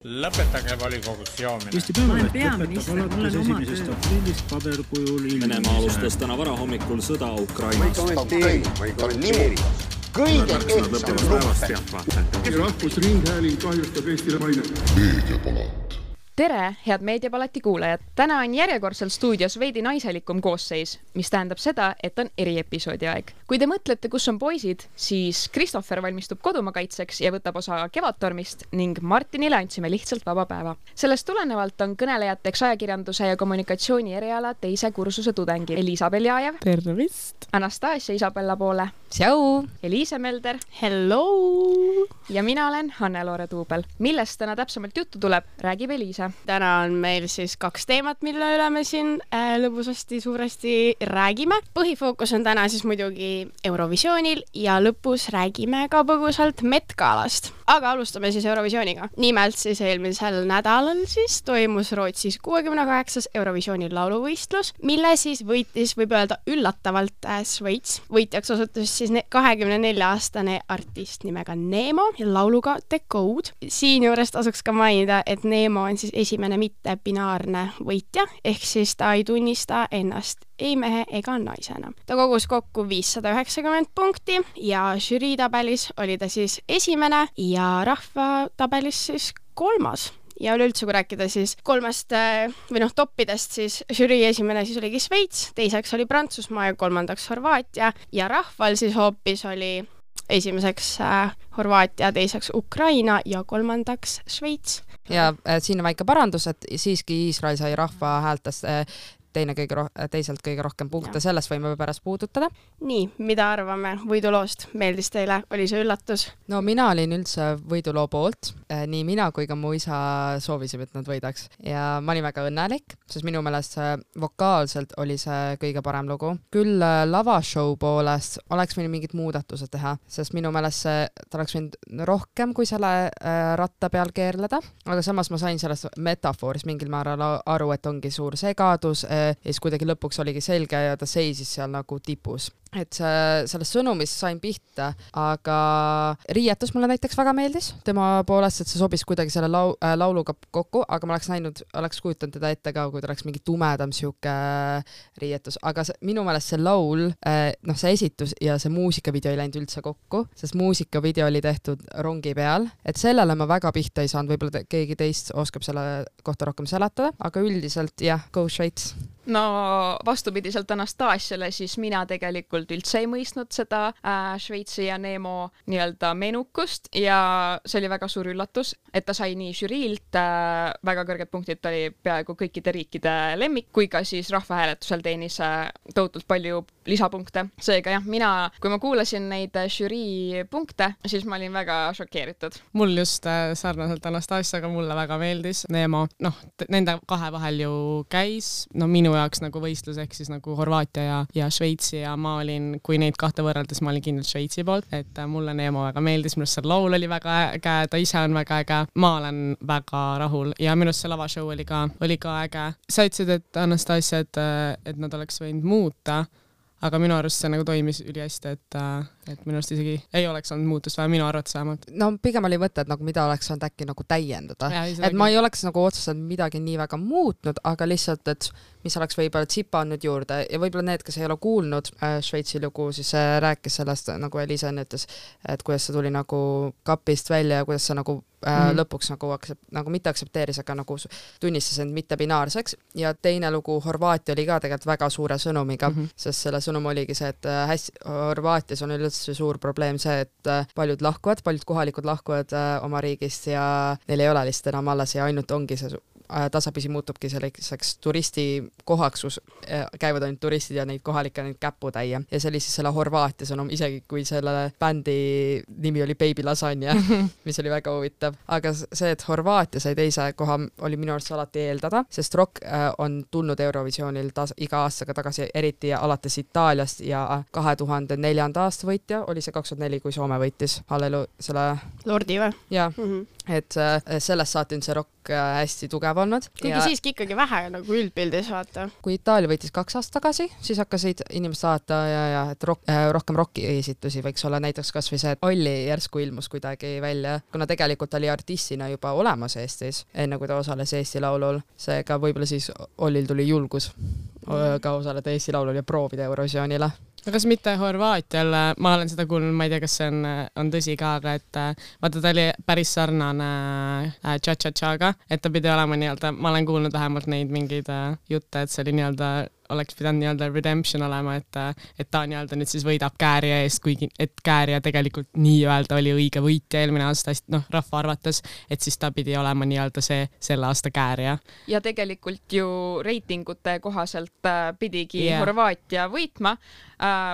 Lõpetage volikogus joomine. Eesti Päevaleht lõpetab alates 1. aprillist paberkujul Venemaa alustas täna varahommikul sõda Ukrainas. Kõige kehtsam luppe. Rahvusringhääling kahjustab Eestile maine. Meediapalat. Tere, head Meediapalati kuulajad! Täna on järjekordselt stuudios veidi naiselikum koosseis, mis tähendab seda, et on eriepisoodi aeg. Kui te mõtlete, kus on poisid, siis Christopher valmistub kodumakaitseks ja võtab osa Kevadtormist ning Martinile andsime lihtsalt vaba päeva. Sellest tulenevalt on kõnelejateks ajakirjanduse ja kommunikatsiooni eriala teise kursuse tudengi Elisa Beljajev. Tervist! Anastasia Isabella Poole. Tšau! Eliise Melder. Hello! Ja mina olen Hanne-Loore Tuubel. Millest täna täpsemalt juttu tuleb, räägib Eliise. Täna on meil siis 2 teemat, mille üle me siin lõbusasti suuresti räägime. Põhifookus on täna siis muidugi Eurovisioonil ja lõpus räägime ka põgusalt Met Galast. Aga alustame siis Eurovisiooniga. Nimelt siis eelmisel nädalal siis toimus Rootsis 68. Eurovisiooni lauluvõistlus, mille siis võitis, võib öelda üllatavalt Šveits. Võitjaks osutus siis 24-aastane artist nimega Nemo ja lauluga The Code. Siin juures tasuks ka mainida, et Nemo on siis esimene mitte-binaarne võitja, ehk siis ta ei tunnista ennast ei mehe ega naisena. Ta kogus kokku 590 punkti ja žüriitabelis oli ta siis esimene ja rahvatabelis siis 3. Ja üleüldse, kui rääkida siis 3 toppidest, siis žürii esimene siis oligi Šveits, teiseks oli Prantsusmaa ja 3. Horvaatia ja rahval siis hoopis oli esimeseks Horvaatia, teiseks Ukraina ja 3. Šveits. Ja siin on väike parandus, et siiski Iisrael sai rahva häältest teiselt kõige rohkem punkte, sellest võime pärast puudutada. Nii, mida arvame võiduloost? Meeldis teile? Oli see üllatus? No mina olin üldse võiduloo poolt. Nii mina kui ka mu isa soovisime, et nad võidaks. Ja ma olin väga õnnelik, sest minu meelest vokaalselt oli see kõige parem lugu. Küll lavashow poolest oleks võinud mingid muudatused teha, sest minu meelest ta oleks võinud rohkem kui selle ratta peal keerleda. Aga samas ma sain sellest metafooris mingil määral aru, et ongi suur segadus, ja siis kuidagi lõpuks oligi selge ja ta seisis seal nagu tipus. Et sellest sõnumist sain pihta, aga riietus mulle näiteks väga meeldis tema poolest, et see sobis kuidagi selle lauluga kokku, aga ma oleks kujutanud teda ette ka, kui ta oleks mingi tumedam siuke riietus, aga minu meelest see laul, see esitus ja see muusikavideo ei läinud üldse kokku, sest muusikavideo oli tehtud rongi peal, et sellele ma väga pihta ei saanud, võib-olla keegi teist oskab selle kohta rohkem seletada, aga üldiselt jah, go Šveits. No vastupidiselt Anastasiale, siis mina tegelikult üldse ei mõistnud seda Šveitsi ja Nemo nii-öelda menukust ja see oli väga suur üllatus, et ta sai nii žüriilt väga kõrged punktid, ta oli peaaegu kõikide riikide lemmik, kui ka siis rahvahääletusel teenis tohutult palju lisapunkte. Seega jah, kui ma kuulasin neid žürii punkte, siis ma olin väga šokeeritud. Mul just sarnaselt Anastasiaga mulle väga meeldis Nemo. Nende 2 vahel ju käis, minu jaoks nagu võistlus ehk siis nagu Horvaatia ja Šveitsi ja ma olin, kui neid 2 võrreldes, ma olin kindlalt Šveitsi poolt, et mulle Nemo väga meeldis, minust see laul oli väga äge, ta ise on väga äge, ma olen väga rahul ja minust see lavashow oli ka äge. Sa ütlesid, et Anastasia, et nad oleks võinud muuta, aga minu arust see nagu toimis ülihästi, et minu arust isegi ei oleks olnud muutust vaja, minu arvates vähemalt. No pigem oli võtta, et nagu mida oleks saanud äkki nagu täiendada. Et ma ei oleks nagu otseselt midagi nii väga muutnud, aga lihtsalt, et mis oleks võib-olla tsipanud juurde ja võib-olla need, kes ei ole kuulnud Šveitsi lugu, siis rääkis sellest, nagu Elisa enne ütles, et kuidas see tuli nagu kapist välja ja kuidas see nagu lõpuks nagu mitte aksepteeris, aga nagu tunnistas end mitte binaarseks ja teine lugu Horvaatia oli ka tegelikult väga suure sõnumiga, sest selle sõnum oligi see, et Horvaatias on üldse suur probleem see, et paljud kohalikud lahkuvad oma riigist ja neil ei ole lihtsalt enam alles ja ainult ongi see tasapisi muutubki selliseks turistikohaks, kus käivad ainult turistid ja neid kohalikke neid käputäie. Ja see oli siis selle Horvaatia sõnum, isegi kui selle bändi nimi oli Baby Lasagna, mis oli väga huvitav. Aga see, et Horvaatia sai teise koha, oli minu arust alati eeldada, sest rock on tulnud Eurovisioonil iga aastaga tagasi, eriti alates Itaaliast ja 2004. aasta võitja oli see 2004, kui Soome võitis selle Lordi või? Jah, et sellest saati see rock hästi tugev olnud. Kuigi siiski ikkagi vähe nagu üldpildis vaata. Kui Itaalia võitis 2 aastat tagasi, siis hakkasid inimesed saata ja et rohkem rocki esitusi võiks olla, näiteks kas või see, et Olli järsku ilmus kuidagi välja, kuna tegelikult oli artistina juba olemas Eestis, enne kui ta osales Eesti Laulul. Seega võib-olla siis Ollil tuli julgus ka osaleda Eesti Laulul ja proovida Eurovisioonile. Kas mitte Horvaatial, ma olen seda kuulnud, ma ei tea, kas see on tõsi ka, aga et vaata, ta oli päris sarnane Cha-Cha-Chaga, et ta pidi olema nii-öelda, ma olen kuulnud vähemalt neid mingeid jutte, et see oli nii-öelda oleks pidanud nii-öelda redemption olema, et ta nii-öelda nüüd siis võidab Kääria eest, kuigi et Kääria tegelikult nii-öelda oli õige võitja eelmine aasta, rahva arvates, et siis ta pidi olema nii-öelda see selle aasta Kääria. Ja tegelikult ju reitingute kohaselt pidigi Horvaatia võitma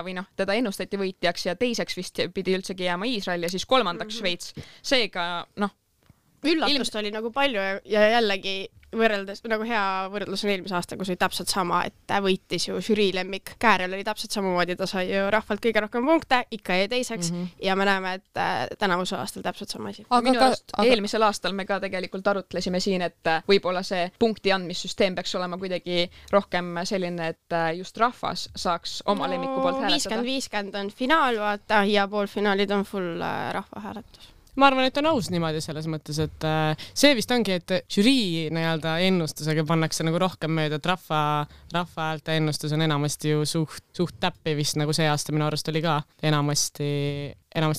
või teda ennustati võitjaks ja teiseks vist pidi üldsegi jääma Iisrael ja siis 3. Šveits. Seega, üllatust oli nagu palju ja jällegi võrreldes, nagu hea võrdlus on eelmise aasta, kus oli täpselt sama, et võitis ju žürii lemmik. Käärel oli täpselt samamoodi, ta sai ju rahvalt kõige rohkem punkte, ikka jäi teiseks ja me näeme, et tänavuse aastal täpselt sama asi. Eelmisel aastal me ka tegelikult arutlesime siin, et võib-olla see punkti andmissüsteem peaks olema kuidagi rohkem selline, et just rahvas saaks oma lemmiku poolt hääletada. 50-50 on finaal, vaata, ja poolfinaalid on full rahva hääletus. Ma arvan, et on aus niimoodi selles mõttes, et see vist ongi, et žürii nii-öelda ennustusega pannakse nagu rohkem mööda, et rahva häälte ennustus on enamasti ju suht täppi vist nagu see aasta minu arust oli ka. Enamasti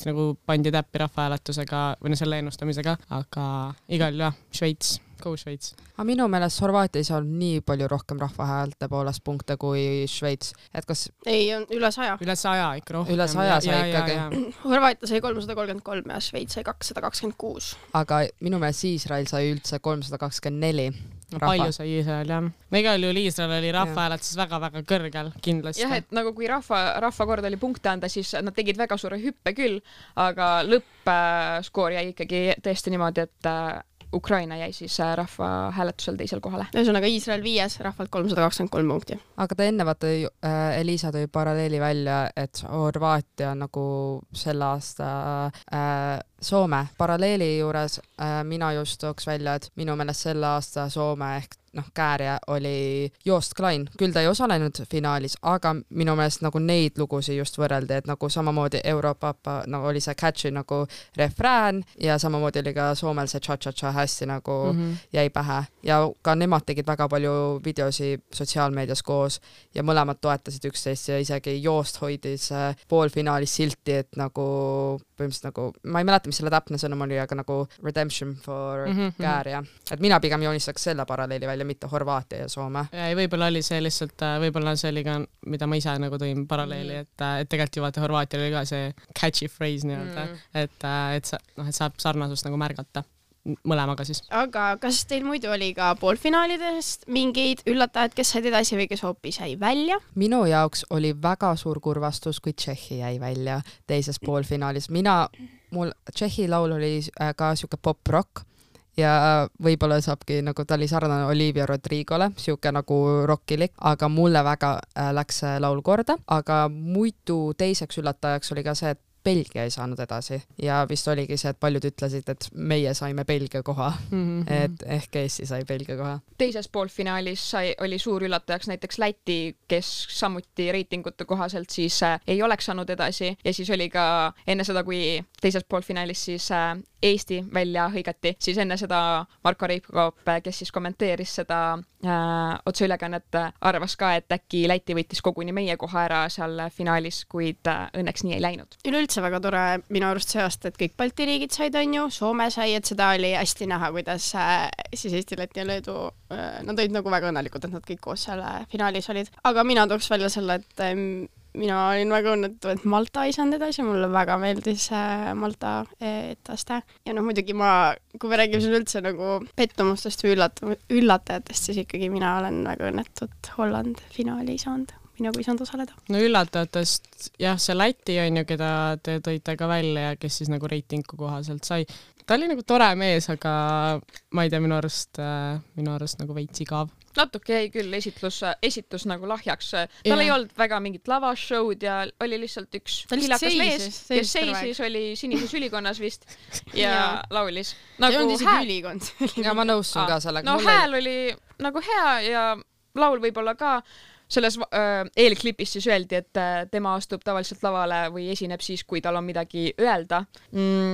nagu pandi täppi rahvahääletusega või selle ennustamisega, aga igal Šveits. Go Šveits. Aga minu meelest Horvaatias on nii palju rohkem rahvahäälte poolest punkte kui Šveits. Et kas... Ei, on üle 100. Üle 100 ikka rohkem. Üle 100 sai ikkagi. Horvaatia sai 333 ja Šveits sai 226. Aga minu meelest Iisrael sai üldse 324. Palju sai Iisrael, jah. Igal juhul Iisrael oli rahvahääletuses väga-väga kõrgel kindlasti. Jah, et nagu kui rahva kord oli punkte anda, siis nad tegid väga suure hüppe küll, aga lõppskoor jäi ikkagi tõesti niimoodi, et Ukraina jäi siis rahva hääletusel teisel kohale. Ühesõnaga Iisrael 5, rahvalt 323 punkti. Aga ta enne vaata Elisa tõi paralleeli välja, et Horvaatia nagu selle aasta Soome paralleeli juures mina just tooks välja, et minu meelest selle aasta Soome ehk Kääria oli Joost Klein, küll ta ei osalenud finaalis, aga minu meelest nagu neid lugusi just võrreldi, et nagu samamoodi Europapa oli see catchy nagu refrään ja samamoodi oli ka Soomel see cha-cha-cha hästi nagu jäi pähe ja ka nemad tegid väga palju videosi sotsiaalmeedias koos ja mõlemad toetasid üksteist ja isegi Joost hoidis poolfinaalis silti, et nagu põhimõtteliselt nagu, ma ei mäleta, mis selle täpne sõnum oli, aga nagu redemption for Kääria. Et mina pigem joonistaks selle paralleeli välja, mitte Horvaatia ja Soome. Ja võib-olla oli see lihtsalt, võib-olla see oli ka, mida ma ise nagu tõin paralleeli, et tegelikult ju vaata Horvaatia oli ka see catchy phrase nii-öelda, et saab sarnasust nagu märgata mõlemaga siis. Aga kas teil muidu oli ka poolfinaalidest mingeid üllatajad, kes said edasi või kes hoopis jäi välja? Minu jaoks oli väga suur kurvastus, kui Tšehhi jäi välja teises poolfinaalis. Mul Tšehhi laul oli ka siuke pop-rock ja võib-olla saabki nagu ta oli sarnane Olivia Rodrigole, siuke nagu rockilik, aga mulle väga läks laul korda, aga muidu teiseks üllatajaks oli ka see, et Belgia ei saanud edasi ja vist oligi see, et paljud ütlesid, et meie saime Belgia koha, et ehk Eesti sai Belgia koha. Teises poolfinaalis oli suur üllatajaks näiteks Läti, kes samuti reitingute kohaselt siis ei oleks saanud edasi ja siis oli ka enne seda, kui teises poolfinaalis siis Eesti välja hõigati, siis enne seda Marko Reipkoop, kes siis kommenteeris seda otseülekannet, arvas ka, et äkki Läti võttis koguni meie koha ära seal finaalis, kuid õnneks nii ei läinud. Üleüldse väga tore minu arust see aasta, et kõik Balti riigid said, on ju, Soome sai, et seda oli hästi näha, kuidas siis Eesti, Läti ja Leedu, nad olid nagu väga õnnelikud, et nad kõik koos seal finaalis olid. Aga mina tooks välja selle, et mina olin väga õnnetu, et Malta ei saanud edasi, mulle väga meeldis Malta etaste. Ja muidugi kui me räägime siin üldse nagu pettumustest või üllatajatest, siis ikkagi mina olen väga õnnetu, et Holland finaali ei saanud. mina kui saanud osaleda. No üllatavatest, jah, see Läti on ju, keda te tõite ka välja ja kes siis nagu reitingu kohaselt sai. Ta oli nagu tore mees, aga ma ei tea, minu arust nagu veits igav. Natuke jäi küll esitus nagu lahjaks. Tal ei olnud väga mingit lavashow'd ja oli lihtsalt üks hilakas mees, kes seisis, oli sinises ülikonnas vist ja laulis. Ei olnud isegi ülikond. Ja ma nõustun ka sellega. No hääl oli nagu hea ja laul võib-olla ka. Selles eelklipis siis öeldi, et tema astub tavaliselt lavale või esineb siis, kui tal on midagi öelda.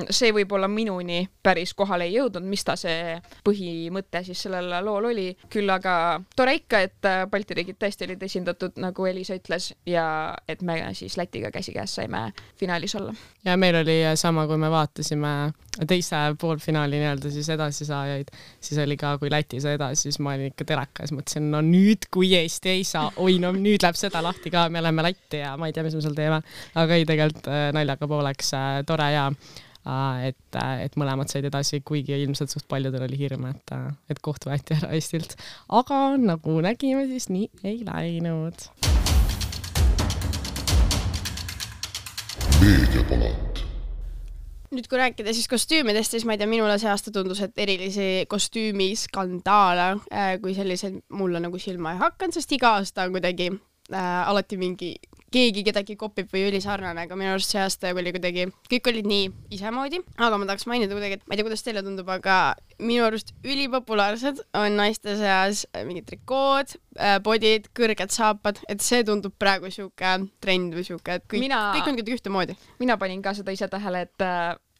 See võib-olla minuni päris kohale ei jõudnud, mis ta see põhimõte siis sellel lool oli. Küll aga tore ikka, et Balti riigid tõesti olid esindatud, nagu Elisa ütles, ja et me siis Lätiga käsikäes saime finaalis olla. Ja meil oli sama, kui me vaatasime teise poolfinaali nii-öelda siis edasisaajaid, siis oli ka, kui Läti sai edasi, siis ma olin ikka terakas, mõtlesin, no nüüd, kui Eesti ei saa, oi, no nüüd läheb seda lahti ka, me oleme Lätti ja ma ei tea, mis me seal teeme, aga ei tegelikult naljaga pooleks tore ja et mõlemad said edasi, kuigi ilmselt suht paljudel oli hirm, et koht võeti ära Eestilt, aga nagu nägime, siis nii ei läinud. Meediapalat. Nüüd kui rääkida siis kostüümidest, siis ma ei tea, minule see aasta tundus, et erilisi kostüümiskandaale kui sellised mulle nagu silma ei hakanud, sest iga aasta on kuidagi alati mingi keegi kedagi kopib või ülisarnane, aga minu arust see aasta oli kuidagi, kõik olid nii isemoodi, aga ma tahaks mainida kuidagi, et ma ei tea, kuidas teile tundub, aga minu arust ülipopulaarsed on naiste seas mingid trikood, bodid, kõrged saapad, et see tundub praegu siuke trend või siuke, et kõik on kuidagi ühtemoodi. Mina panin ka seda ise tähele, et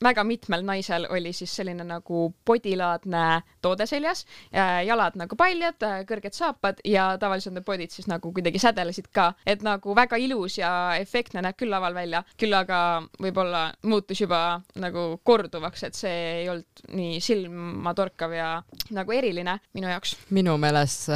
väga mitmel naisel oli siis selline nagu podilaadne toode seljas, jalad nagu paljad, kõrged saapad ja tavaliselt need podid siis nagu kuidagi sädelesid ka, et nagu väga ilus ja efektne näeb küll laval välja, küll aga võib-olla muutus juba nagu korduvaks, et see ei olnud nii silmatorkav ja nagu eriline minu jaoks. Minu meelest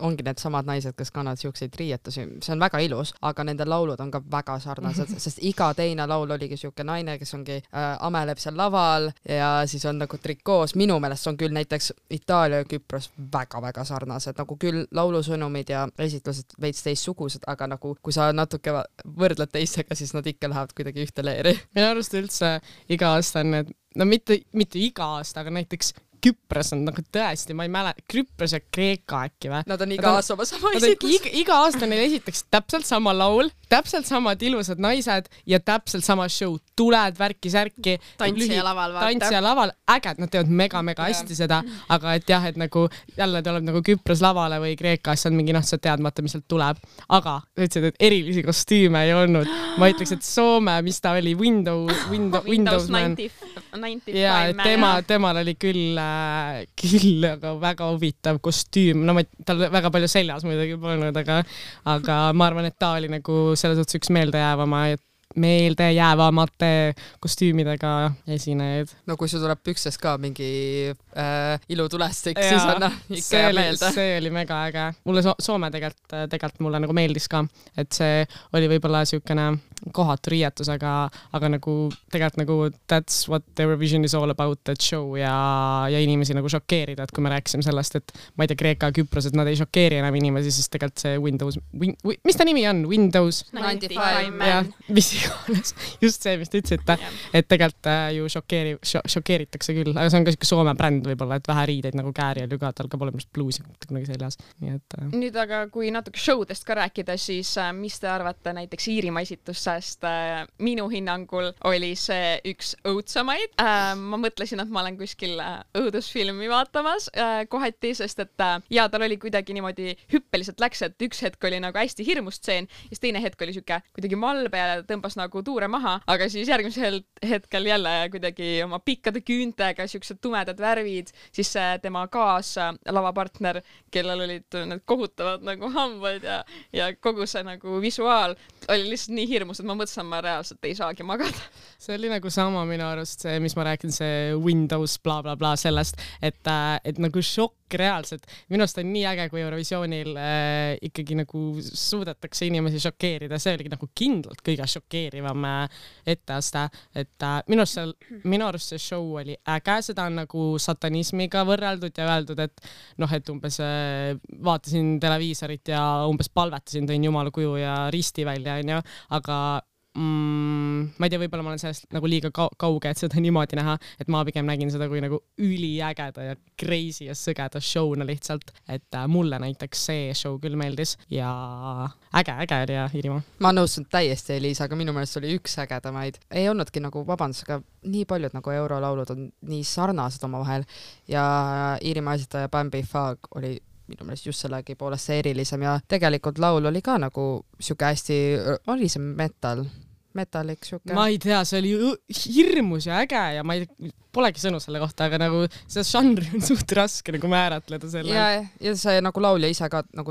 ongi need samad naised, kes kannavad siukseid riietusi, see on väga ilus, aga nende laulud on ka väga sarnased, sest iga teine laul oligi siuke naine, kes ongi ameleb seal laval ja siis on nagu trikoos. Minu meelest on küll näiteks Itaalia ja Küpros väga-väga sarnased, nagu küll laulusõnumid ja esitlused veits teistsugused, aga nagu kui sa natuke võrdled teistega, siis nad ikka lähevad kuidagi ühte leeri. Minu arust üldse iga aasta on need, no mitte iga aasta, aga näiteks Küpros on nagu tõesti, ma ei mäleta, Küpros ja Kreeka äkki või? Nad on iga aasta sama esitlus. Iga aasta neil esitaks täpselt sama laul, täpselt samad ilusad naised ja täpselt sama show. Tuled, värki-särki. Tantsija laval, vaata. Tantsija laval, äged, nad teevad mega hästi seda, aga et jah, et nagu jälle tuleb nagu Küpros lavale või Kreekas, on mingi sa teadmata, mis sealt tuleb. Aga ütlesid, et erilisi kostüüme ei olnud. Ma ütleks, et Soome, mis ta oli, Windows Man. 95 ja, temal oli küll aga väga huvitav kostüüm, no tal väga palju seljas muidugi polnud, aga ma arvan, et ta oli nagu selles suhtes üks meeldejäävamate kostüümidega esinejaid. No kui sul tuleb pükses ka mingi ilutulestik, siis on ikka jääb meelde. See oli mega äge. Mulle Soome tegelikult mulle nagu meeldis ka, et see oli võib-olla siukene kohatu riietus, aga nagu tegelikult nagu that's what Eurovision is all about, that show ja inimesi nagu šokeerida, et kui me rääkisime sellest, et ma ei tea, Kreeka ja Küpros, et nad ei šokeeri enam inimesi, siis tegelikult see mis ta nimi on? Windows 95 Man. Mis iganes, just see, mis te ütlesite, et tegelikult ju šokeeritakse küll, aga see on ka siuke Soome bränd võib-olla, et vähe riideid nagu Kääriel ju ka, tal ka pole minu bluusi kunagi seljas. Nüüd aga kui natuke showdest ka rääkida, siis mis te arvate näiteks Iirimaa esitust, sest minu hinnangul oli see üks õudsamaid. Ma mõtlesin, et ma olen kuskil õudusfilmi vaatamas kohati, sest et tal oli kuidagi niimoodi hüppeliselt läks, et üks hetk oli nagu hästi hirmustseen ja teine hetk oli siuke kuidagi malbe ja tõmbas nagu tuure maha, aga siis järgmisel hetkel jälle kuidagi oma pikkade küüntega, siuksed tumedad värvid, siis tema lavapartner, kellel olid need kohutavad nagu hambad ja kogu see nagu visuaal oli lihtsalt nii hirmus, et ma mõtlesin, ma reaalselt ei saagi magada. See oli nagu sama minu arust see, mis ma räägin, see Windows bla bla bla sellest, et nagu šokk reaalselt. Minu arust on nii äge, kui Eurovisioonil ikkagi nagu suudetakse inimesi šokeerida. See oligi nagu kindlalt kõige šokeerivam etteaste. Et minu arust see show oli äge, seda on nagu satanismiga võrreldud ja öeldud, et noh, et umbes vaatasin televiisorit ja umbes palvetasin, tõin jumala kuju ja risti välja, onju, aga ma ei tea, võib-olla ma olen sellest nagu liiga kauge, et seda niimoodi näha, et ma pigem nägin seda kui nagu üliägeda ja crazy ja sõgeda showna lihtsalt, et mulle näiteks see show küll meeldis ja äge oli ja Iirimaa. Ma nõustun täiesti Eliisa, aga minu meelest oli üks ägedamaid. Ei olnudki nagu vabandus, aga nii paljud nagu eurolaulud on nii sarnased omavahel ja Iirimaa esitaja Bambi Fag oli minu meelest just sellegi poolest see erilisem ja tegelikult laul oli ka nagu siuke hästi, oli see metallik siuke. Ma ei tea, see oli hirmus ja äge ja ma ei polegi sõnu selle kohta, aga nagu see žanri on suht raske nagu määratleda selle. Ja see nagu laulja ise ka nagu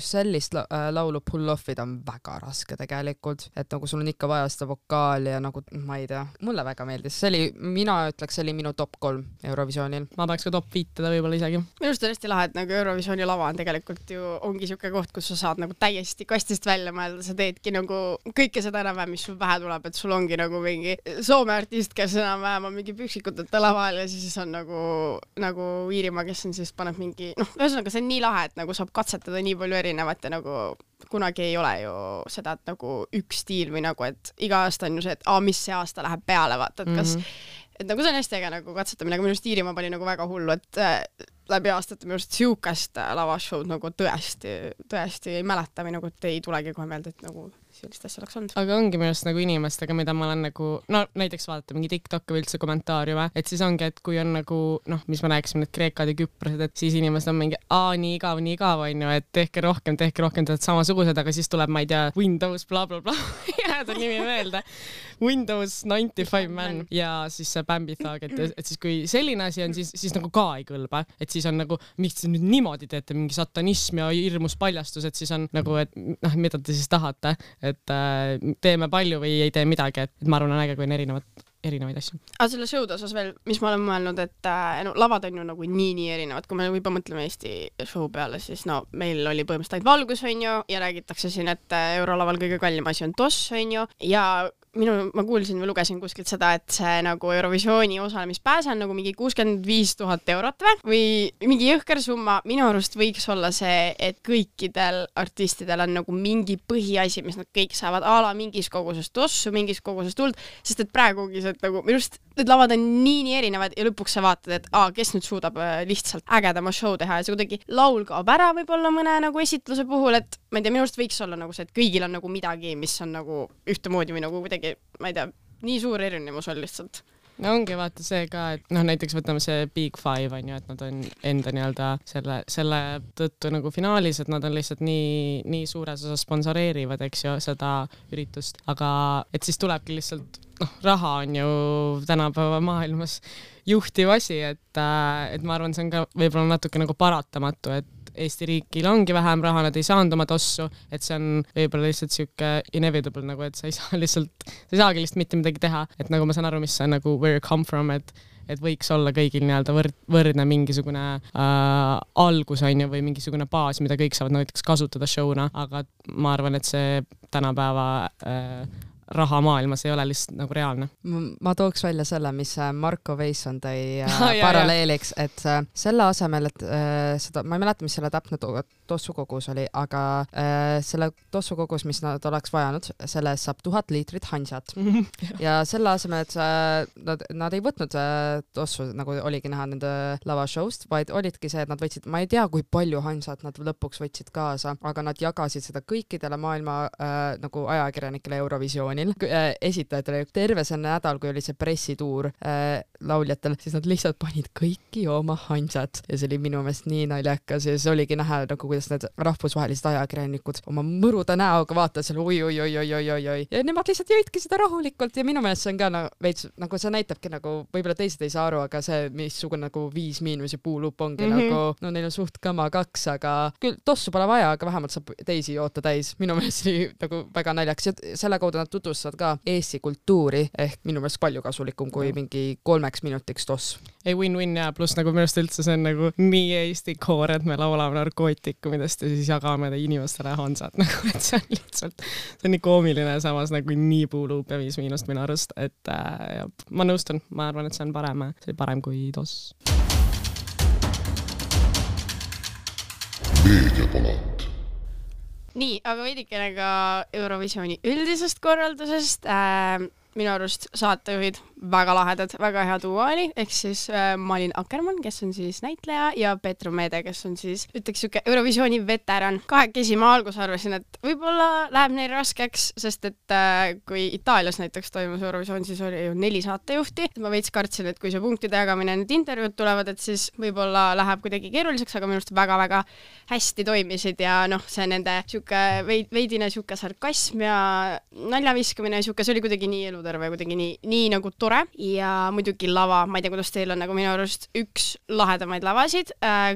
sellist laulu pull-off'id on väga raske tegelikult, et nagu sul on ikka vaja seda vokaali ja nagu ma ei tea, mulle väga meeldis. Mina ütleks, see oli minu top 3 Eurovisioonil. Ma tahaks ka top 5 teda võib-olla isegi. Minu arust on hästi lahe, et nagu Eurovisiooni lava on tegelikult ju ongi siuke koht, kus sa saad nagu täiesti kastist välja mõelda, sa teedki nagu kõike seda enam-vähem, mis sul pähe tuleb, et sul ongi nagu mingi Soome artist, kes enam-vähem on mingi püksikuteta laval ja siis on nagu Iirimaa, kes on siis paneb mingi, ühesõnaga see on nii lahe, et nagu saab katsetada nii palju erinevat ja nagu kunagi ei ole ju seda, et nagu üks stiil või nagu, et iga aasta on ju see, et mis see aasta läheb peale, vaata, et kas et nagu see on hästi äge nagu katsetamine, aga minu arust Iirimaa pani nagu väga hullu, et läbi aastate minu arust siukest lavashowd nagu tõesti ei mäleta või nagu, et ei tulegi kohe meelde, et nagu sellist asja oleks olnud. Aga ongi minust nagu inimestega, mida ma olen nagu, näiteks vaadata mingi TikTok või üldse kommentaariume, et siis ongi, et kui on nagu, mis me rääkisime, need kreekad ja küprased, et siis inimesed on mingi, nii igav on ju, et tehke rohkem, tead samasugused, aga siis tuleb, ma ei tea, Windows bla bla bla, jääda nimi meelde, Windows 95 man ja siis see Bambi Thug, et siis kui selline asi on, siis nagu ka ei kõlba, et siis on nagu, miks te nüüd niimoodi teete, mingi satanism ja hirmus paljastus, et siis on nagu, et mida te siis tahate, et teeme palju või ei tee midagi, et ma arvan, on äge, kui on erinevaid asju. Aga selle show'd osas veel, mis ma olen mõelnud, et lavad on ju nagu nii erinevad, kui me juba mõtleme Eesti show peale, siis meil oli põhimõtteliselt valgus, on ju, ja räägitakse siin, et eurolaval kõige kallim asi on toss, on ju, ja ma kuulsin või lugesin kuskilt seda, et see nagu Eurovisiooni osalemispääse on nagu mingi 65 000 eurot või mingi jõhker summa. Minu arust võiks olla see, et kõikidel artistidel on nagu mingi põhiasi, mis nad kõik saavad mingis koguses tossu, mingis koguses tuld, sest et praegu ongi see, et nagu minu arust need lavad on nii erinevad ja lõpuks sa vaatad, et kes nüüd suudab lihtsalt ägedama show teha ja see kuidagi laul kaob ära võib-olla mõne nagu esitluse puhul, et ma ei tea, minu arust võiks olla nagu see, et kõigil on nagu midagi, mis on nagu ühtemoodi või nagu kuidagi, ma ei tea, nii suur erinevus on lihtsalt. No ongi vaata see ka, et näiteks võtame see Big Five on ju, et nad on enda nii-öelda selle tõttu nagu finaalis, et nad on lihtsalt nii suures osas sponsoreerivad, eks ju, seda üritust, aga et siis tulebki lihtsalt raha on ju tänapäeva maailmas juhtiv asi, et ma arvan, see on ka võib-olla natuke nagu paratamatu, et Eesti riigil ongi vähem raha, nad ei saanud oma tossu, et see on võib-olla lihtsalt siuke inevitable nagu, et sa ei saagi lihtsalt mitte midagi teha, et nagu ma saan aru, mis see on nagu where you come from, et võiks olla kõigil nii-öelda võrdne mingisugune algus on ju, või mingisugune baas, mida kõik saavad näiteks kasutada show'na, aga ma arvan, et see tänapäeva raha maailmas ei ole lihtsalt nagu reaalne. Ma tooks välja selle, mis Marko Veisson tõi paralleeliks, et selle asemel, et seda, ma ei mäleta, mis selle täpne tossukogus oli, aga selle tossukogus, mis nad oleks vajanud, selle saab 1000 liitrit hansat. Ja selle asemel, et nad ei võtnud tossu, nagu oligi näha nende lavashowst, vaid olidki see, et nad võtsid, ma ei tea, kui palju hansat nad lõpuks võtsid kaasa, aga nad jagasid seda kõikidele maailma nagu ajakirjanikele Eurovisiooni Eurovisioonil esitajatel terve see nädal, kui oli see pressituur lauljatel, siis nad lihtsalt panid kõiki oma hansad ja see oli minu meelest nii naljakas ja siis oligi näha nagu kuidas need rahvusvahelised ajakirjanikud oma mõruda näoga vaatavad seal oi ja nemad lihtsalt jõidki seda rahulikult ja minu meelest see on ka veits nagu see näitabki nagu võib-olla teised ei saa aru, aga see missugune nagu 5- puulup ongi nagu no neil on suht kama 2, aga küll tossu pole vaja, aga vähemalt saab teisi joota täis. Minu meelest oli nagu väga naljakas ja selle kaudu nad tutvustavad ka Eesti kultuuri ehk minu meelest palju kasulikum kui mingi 3 minutiks toss. Ei win-win ja pluss nagu minu arust üldse see on nagu nii Eesti koor, et me laulame narkootikumidest ja siis jagame inimestele hansad nagu, et see on lihtsalt see on nii koomiline ja samas nagu nii puuluup ja 5 miinust minu arust, et ma nõustun, ma arvan, et see on parem kui toss. Meediapalat. Nii, aga veidikene ka Eurovisiooni üldisest korraldusest. Minu arust saatejuhid väga lahedad, väga hea duo oli, ehk siis Malin Akkermann, kes on siis näitleja ja Petru Meede, kes on siis ütleks siuke Eurovisiooni veteran. Kahekesi ma alguses arvasin, et võib-olla läheb neil raskeks, sest et kui Itaalias näiteks toimus Eurovisioon, siis oli ju 4 saatejuhti. Ma veits kartsin, et kui see punktide jagamine need intervjuud tulevad, et siis võib-olla läheb kuidagi keeruliseks, aga minu arust väga-väga hästi toimisid ja noh, see nende siuke veidine siuke sarkasm ja naljaviskamine siuke, see oli kuidagi nii eluterve, kuidagi nii nagu tore ja muidugi lava, ma ei tea, kuidas teil on, nagu minu arust üks lahedamaid lavasid,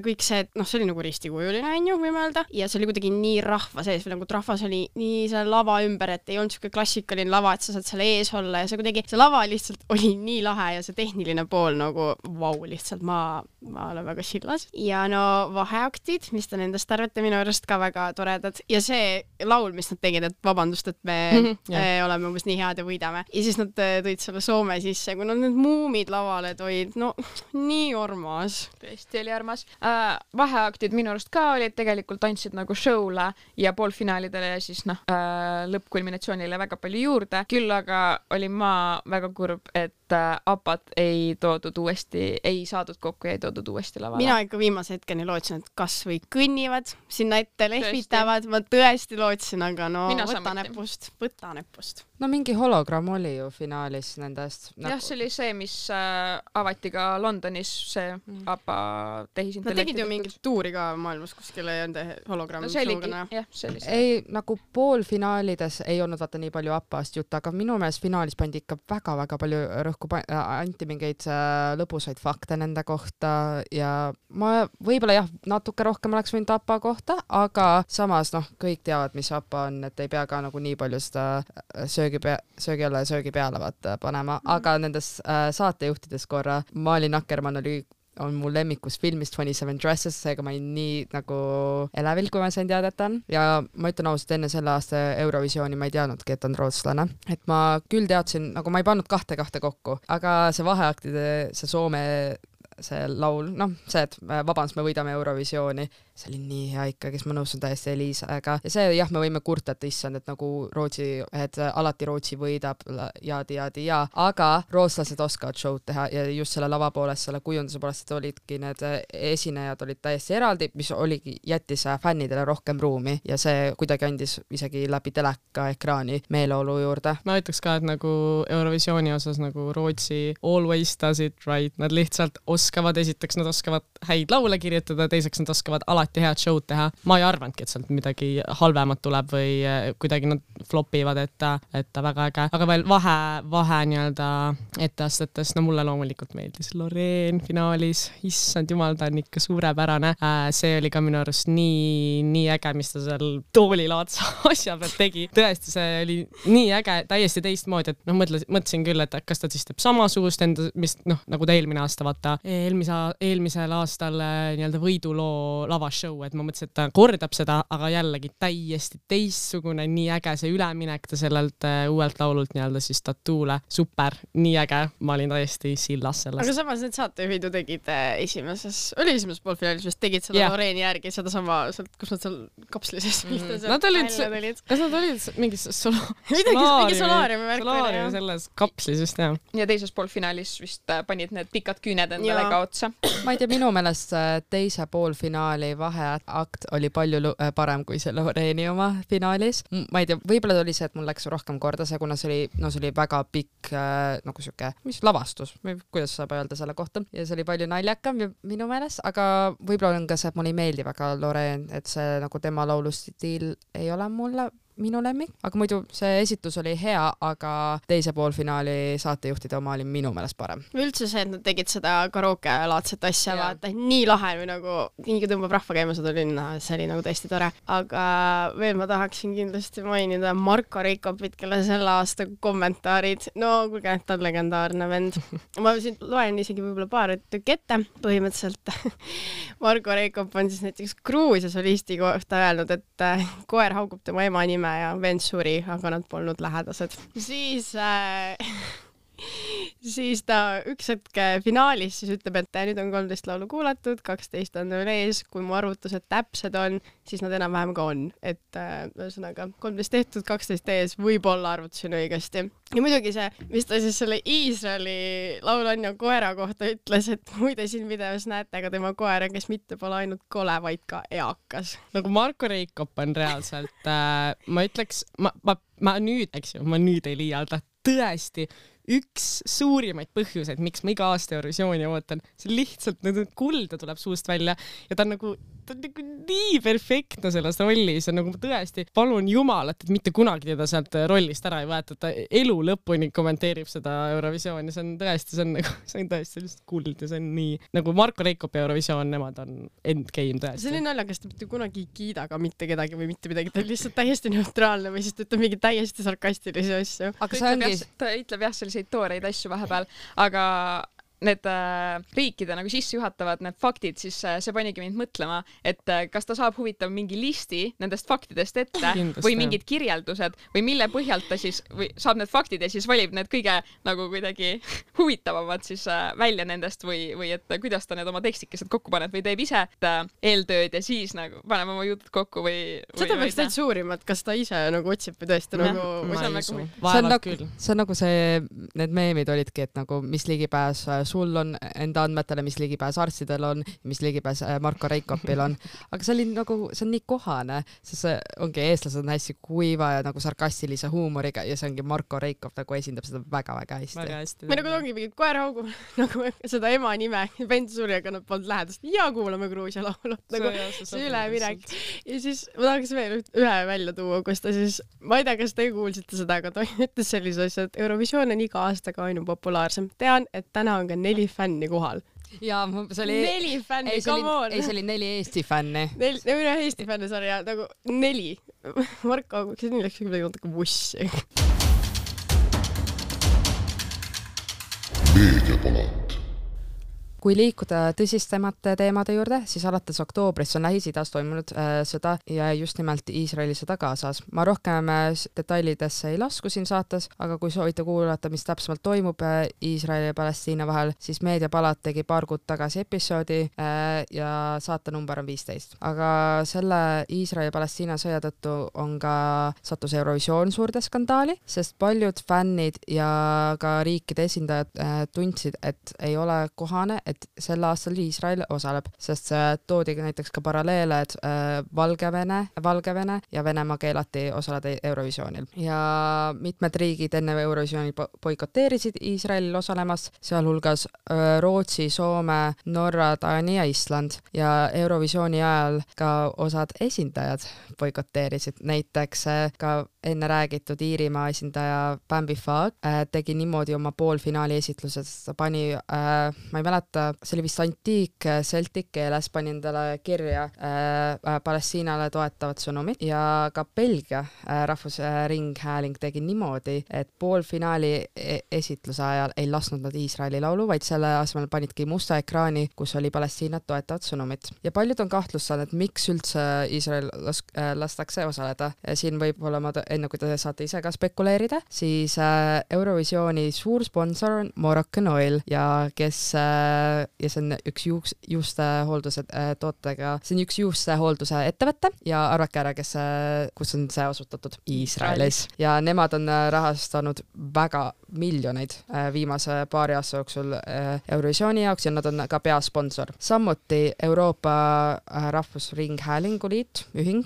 kõik see, noh, see oli nagu ristikujuline, on ju, võime öelda, ja see oli kuidagi nii rahva sees või nagu rahvas oli nii selle lava ümber, et ei olnud siuke klassikaline lava, et sa saad selle ees olla ja see kuidagi, see lava lihtsalt oli nii lahe ja see tehniline pool nagu vau, lihtsalt ma olen väga sillas. Ja no vaheaktid, mis te nendest arvate, minu arust ka väga toredad ja see laul, mis nad tegid, et vabandust, et me oleme umbes nii head ja võidame. Ja siis nad tõid selle Soome sisse, kui nad need muumid lavale toid, no nii armas. Tõesti oli armas. Vaheaktid minu arust ka olid, tegelikult andsid nagu show'le ja poolfinaalidele ja siis lõppkulminatsioonile väga palju juurde. Küll aga olin ma väga kurb, et APAT ei saadud kokku ja ei toodud uuesti lavale. Mina ikka viimase hetkeni lootsin, et kas või kõnnivad, sinna ette lehvitavad, ma tõesti lootsin, aga no võta nepust. No mingi hologramm oli ju finaalis nendest. Jah, see oli see, mis avati ka Londonis, see APA tehisintellekti. Nad tegid ju mingit tuuri ka maailmas, kuskil ei olnud hologramm. No see oligi, jah, see oli see. Ei, nagu poolfinaalides ei olnud vaata nii palju APA-st jutt, aga minu meelest finaalis pandi ikka väga-väga palju rõhku, anti mingeid lõbusaid fakte nende kohta ja ma võib-olla jah, natuke rohkem oleks võinud APA kohta, aga samas kõik teavad, mis APA on, et ei pea ka nagu nii palju seda söögi alla ja söögi peale panema, aga nendes saatejuhtides korra Malin Akkermann on mul lemmikus filmist 27 Dresses, seega ma olin nii nagu elevil, kui ma sain teada, et on. Ja ma ütlen ausalt, enne selle aasta Eurovisiooni ma ei teadnudki, et on rootslane. Et ma küll teadsin, nagu ma ei pannud kahte kokku, aga see vaheaktide, see Soome see laul, see, et vabandust, me võidame Eurovisiooni, see oli nii hea ikka, kes ma nõustun täiesti Eliisaga. Ja see jah, me võime kurta, et issand, et nagu alati Rootsi võidab ja, aga rootslased oskavad show'd teha ja just selle lava poolest, selle kujunduse poolest, et olidki need esinejad olid täiesti eraldi, mis jättis fännidele rohkem ruumi ja see kuidagi andis isegi läbi teleka ekraani meeleolu juurde. Ma ütleks ka, et nagu Eurovisiooni osas nagu Rootsi always does it right, nad lihtsalt esiteks nad oskavad häid laule kirjutada, teiseks nad oskavad alati head show'd teha. Ma ei arvanudki, et sealt midagi halvemat tuleb või kuidagi nad flopivad, et väga äge. Aga veel vahe nii-öelda etteastetes, mulle loomulikult meeldis Loreen finaalis, issand jumal, ta on ikka suurepärane. See oli ka minu arust nii äge, mis ta seal toolilaadsa asja pealt tegi. Tõesti, see oli nii äge, täiesti teistmoodi, et mõtlesin küll, et kas ta siis teeb samasugust enda, mis nagu ta eelmine aasta vaata eelmisel aastal nii-öelda võiduloo lavashow, et ma mõtlesin, et ta kordab seda, aga jällegi täiesti teistsugune, nii äge see üleminek ta sellelt uuelt laulult nii-öelda siis Tatuule. Super, nii äge, ma olin täiesti sillas sellest. Aga samas need saatejuhid ju tegid esimeses poolfinaalis, mis tegid seda Loreeni järgi, seda sama, kus nad seal kapslises nad olid, kas nad olid mingis solaariumi selles kapslis just, jah. Ja teises poolfinaalis vist panid need pikad küüned endale ka otsa. Ma ei tea, minu meelest teise poolfinaali vaheakt oli palju parem kui see Loreeni oma finaalis. Ma ei tea, võib-olla oli see, et mul läks rohkem korda see, kuna see oli väga pikk nagu siuke, mis lavastus, kuidas saab öelda selle kohta, ja see oli palju naljakam minu meelest, aga võib-olla on ka see, et mulle ei meeldi väga Loreen, et see nagu tema laulustiil ei ole mulle minu lemmik, aga muidu see esitus oli hea, aga teise poolfinaali saatejuhtide oma oli minu meelest parem. Üldse see, et nad tegid seda karaoke-laadset asja, vaata, nii lahe või nagu nii tõmbab rahva käima seda linna, see oli nagu tõesti tore. Aga veel ma tahaksin kindlasti mainida Marko Reikopit, kelle selle aasta kommentaarid, no kuulge, ta on legendaarne vend. Ma siin loen isegi võib-olla paar tükki ette. Põhimõtteliselt Marko Reikop on siis näiteks Gruusia solisti kohta öelnud, et koer haugub tema ema nime ja vend suri, aga nad polnud lähedased. Siis ta üks hetk finaalis siis ütleb, et nüüd on 13 laulu kuulatud, 12 on veel ees, kui mu arvutused täpsed on, siis nad enam-vähem ka on. Et ühesõnaga 13 tehtud, 12 ees, võib-olla arvutasin õigesti. Ja muidugi see, mis ta siis selle Iisraeli laulanja koera kohta ütles, et muide siin videos näete ka tema koera, kes mitte pole ainult kole, vaid ka eakas. Nagu Marko Reikop on reaalselt, ma ütleks, ma nüüd ei liialda, tõesti üks suurimaid põhjuseid, miks ma iga aasta Eurovisiooni ootan, see lihtsalt kulda tuleb suust välja ja ta on nagu nii perfektne selles rollis ja nagu tõesti palun Jumalat, et mitte kunagi teda sealt rollist ära ei võeta, ta elu lõpuni kommenteerib seda Eurovisiooni, see on tõesti lihtsalt kuld ja see on nii, nagu Marko Reikop ja Eurovisioon, nemad on endgame tõesti. See on naljakas, ta mitte kunagi ei kiida ka mitte kedagi või mitte midagi, ta on lihtsalt täiesti neutraalne või siis ta ütleb mingi täiesti sarkastilisi asju. Aga ta ütleb jah selliseid tooreid asju vahepeal, aga need riikide nagu sissejuhatavad need faktid, siis see panigi mind mõtlema, et kas ta saab huvitav mingi listi nendest faktidest ette või mingid kirjeldused või mille põhjalt ta siis või saab need faktid ja siis valib need kõige nagu kuidagi huvitavamad siis välja nendest või et kuidas ta need oma tekstikesed kokku paneb või teeb ise eeltööd ja siis nagu paneb oma jutud kokku või seda peaks täitsa uurima, et kas ta ise nagu otsib või tõesti nagu see on nagu see, need meemid olidki, et nagu mis ligipääs sul on enda andmetele, mis ligipääs arstidel on, mis ligipääs Marko Reikopil on. Aga see on nii kohane, sest see ongi eestlased on hästi kuiva ja nagu sarkastilise huumoriga ja see ongi Marko Reikop nagu esindab seda väga-väga hästi. Me nagu ongi mingid koer haugub nagu seda ema nime, vend suri, aga nad polnud lähedast. Ja kuulame Gruusia laulu. Nagu see üleminek. Ja siis ma tahaks veel ühe välja tuua, kus ta siis, ma ei tea, kas te kuulsite seda, aga ta ütles sellise asja, et Eurovisioon on iga aastaga ainu populaarsem. Tean, et täna on ka 4 fänni kohal. Ja see oli 4 fänni, come on! See oli 4 Eesti fänni. 4 Eesti fänni, sorry, ja nagu 4. Marko, kas nii läks midagi natuke bussi? Meediapalat. Kui liikuda tõsistemate teemade juurde, siis alates oktoobrist on Lähis-Idas toimunud sõda ja just nimelt Iisraeli sõda Gazas. Ma rohkem detailidesse ei lasku siin saates, aga kui soovite kuulata, mis täpsemalt toimub Iisraeli ja Palestiina vahel, siis Meediapalat tegi paar kuud tagasi episoodi ja saate number on 15. Aga selle Iisraeli ja Palestiina sõja tõttu on ka sattus Eurovisioon suurde skandaali, sest paljud fännid ja ka riikide esindajad tundsid, et ei ole kohane, et sel aastal Iisrael osaleb, sest see toodi näiteks ka paralleele, et Valgevene ja Venemaa keelati osaleda Eurovisioonil. Ja mitmed riigid enne Eurovisiooni boikoteerisid Iisraelil osalemast, sealhulgas Rootsi, Soome, Norra, Taani ja Island. Ja Eurovisiooni ajal ka osad esindajad boikoteerisid. Näiteks ka enne räägitud Iirimaa esindaja Bambi Fag tegi niimoodi oma poolfinaali esitlused, ta pani, ma ei mäleta, see oli vist antiik celtic keeles, pani endale kirja Palestiinale toetavat sõnumit ja ka Belgia rahvusringhääling tegi niimoodi, et poolfinaali esitluse ajal ei lasknud nad Iisraeli laulu, vaid selle asemel panidki musta ekraani, kus oli Palestiinat toetavat sõnumit. Ja paljud on kahtlustanud, et miks üldse Iisrael lastakse osaleda. Siin võib olla enne kui te saate ise ka spekuleerida, siis Eurovisiooni suur sponsor on Moroccan Oil ja see on üks juustehoolduse tootega, see on üks juustehoolduse ettevõte ja arvake ära, kus on see asutatud Iisraelis ja nemad on rahastanud väga miljoneid viimase paari aasta jooksul Eurovisiooni jaoks ja nad on ka peasponsor. Samuti Euroopa Rahvusringhäälingu Liit, ühing.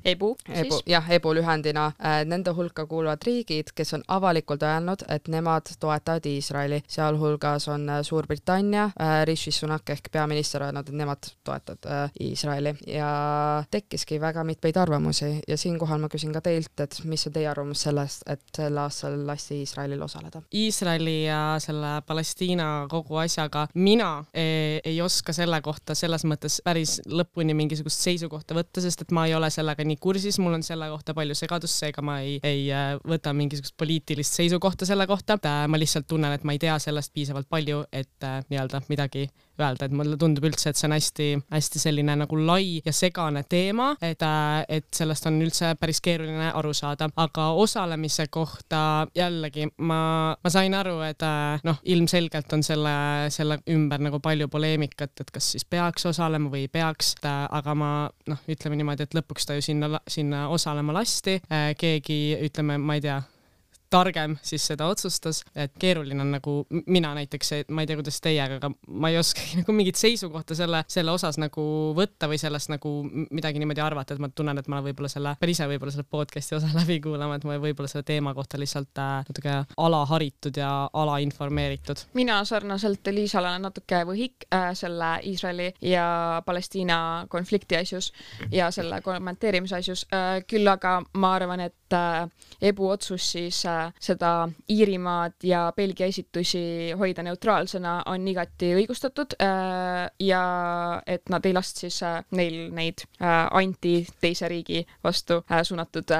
EBU siis? Jah, EBU lühendina. Nende hulka kuuluvad riigid, kes on avalikult öelnud, et nemad toetavad Iisraeli. Sealhulgas on Suurbritannia, Rishi Sunak ehk peaminister öelnud, et nemad toetavad Iisraeli ja tekkiski väga mitmeid arvamusi ja siinkohal ma küsin ka teilt, et mis on teie arvamus sellest, et sel aastal lasti Iisraelil osaleda? Iisraeli ja selle Palestiina kogu asjaga mina ei oska selle kohta selles mõttes päris lõpuni mingisugust seisukohta võtta, sest et ma ei ole sellega nii kursis, mul on selle kohta palju segadust, seega ma ei võta mingisugust poliitilist seisukohta selle kohta. Ma lihtsalt tunnen, et ma ei tea sellest piisavalt palju, et nii-öelda midagi öelda, et mulle tundub üldse, et see on hästi selline nagu lai ja segane teema, et sellest on üldse päris keeruline aru saada, aga osalemise kohta jällegi ma sain aru, et ilmselgelt on selle ümber nagu palju poleemikat, et kas siis peaks osalema või ei peaks, aga ma ütleme niimoodi, et lõpuks ta ju sinna osalema lasti, keegi ütleme, ma ei tea, targem siis seda otsustas, et keeruline on nagu mina näiteks, ma ei tea, kuidas teie, aga ma ei oska nagu mingit seisukohta selle osas nagu võtta või sellest nagu midagi niimoodi arvata, et ma tunnen, et ma võib-olla selle podcasti osa läbi kuulama, et ma võib-olla selle teema kohta lihtsalt natuke alaharitud ja alainformeeritud. Mina sarnaselt Liisale olen natuke võhik selle Iisraeli ja Palestiina konflikti asjus ja selle kommenteerimise asjus, küll aga ma arvan, et EBU otsus siis seda Iirimaad ja Belgia esitusi hoida neutraalsena on igati õigustatud ja et nad ei last siis neil neid anti teise riigi vastu suunatud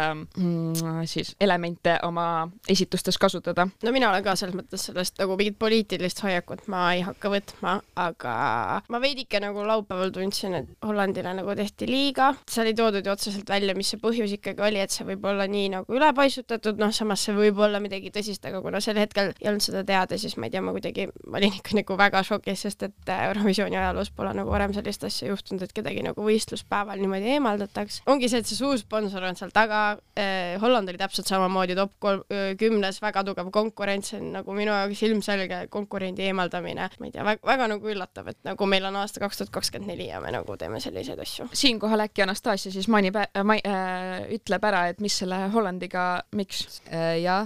siis elemente oma esitustes kasutada. No mina olen ka selles mõttes sellest nagu mingit poliitilist hoiakut ma ei hakka võtma, aga ma veidike nagu laupäeval tundsin, et Hollandile nagu tehti liiga. See oli toodud ju otseselt välja, mis see põhjus ikkagi oli, et see võib olla nii nagu ülepaisutatud, samas see võib olla midagi tõsist, aga kuna sel hetkel ei olnud seda teada, siis ma ei tea, ma olin ikka nagu väga šokis, sest et Eurovisiooni ajaloos pole nagu varem sellist asja juhtunud, et kedagi nagu võistluspäeval niimoodi eemaldataks. Ongi see, et see suur sponsor on seal taga, Holland oli täpselt samamoodi top 10, väga tugev konkurents, nagu minu jaoks ilmselge konkurendi eemaldamine. Ma ei tea, väga nagu üllatav, et nagu meil on aasta 2024 ja me nagu teeme selliseid asju. Siinkohal äkki Anastasia siis ütleb ära, et mis selle Hollandiga, miks? Ja,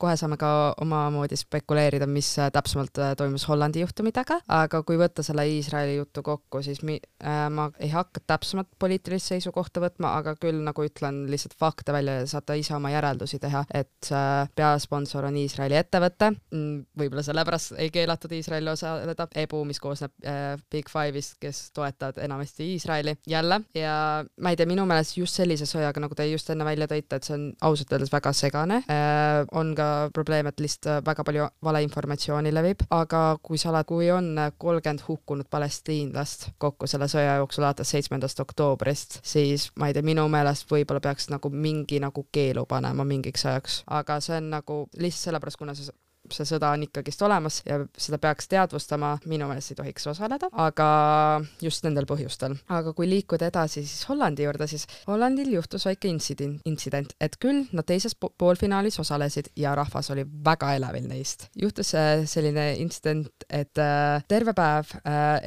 kohe saame ka omamoodi spekuleerida, mis täpsemalt toimus Hollandi juhtumidega, aga kui võtta selle Iisraeli juttu kokku, siis ma ei hakka täpsemalt poliitilist seisukohta võtma, aga küll nagu ütlen lihtsalt fakte välja ja saate ise oma järeldusi teha, et peasponsor on Iisraeli ettevõte, võib-olla sellepärast ei keelatud Iisraeli osaleda, EBU, mis koosneb Big Five'ist, kes toetavad enamasti Iisraeli jälle ja ma ei tea, minu meelest just sellise sõjaga, nagu te just enne välja tõite, et see on ausalt öeldes väga segane, on ka probleem, et lihtsalt väga palju valeinformatsiooni levib, aga kui on 30 hukkunud palestiinlast kokku selle sõja jooksul alates 7. oktoobrist, siis ma ei tea, minu meelest võib-olla peaks nagu mingi nagu keelu panema mingiks ajaks, aga see on nagu lihtsalt sellepärast, kuna see sõda on ikkagist olemas ja seda peaks teadvustama, minu meelest ei tohiks osaleda, aga just nendel põhjustel. Aga kui liikuda edasi siis Hollandi juurde, siis Hollandil juhtus väike intsident, et küll nad teises poolfinaalis osalesid ja rahvas oli väga elevil neist. Juhtus selline intsident, et terve päev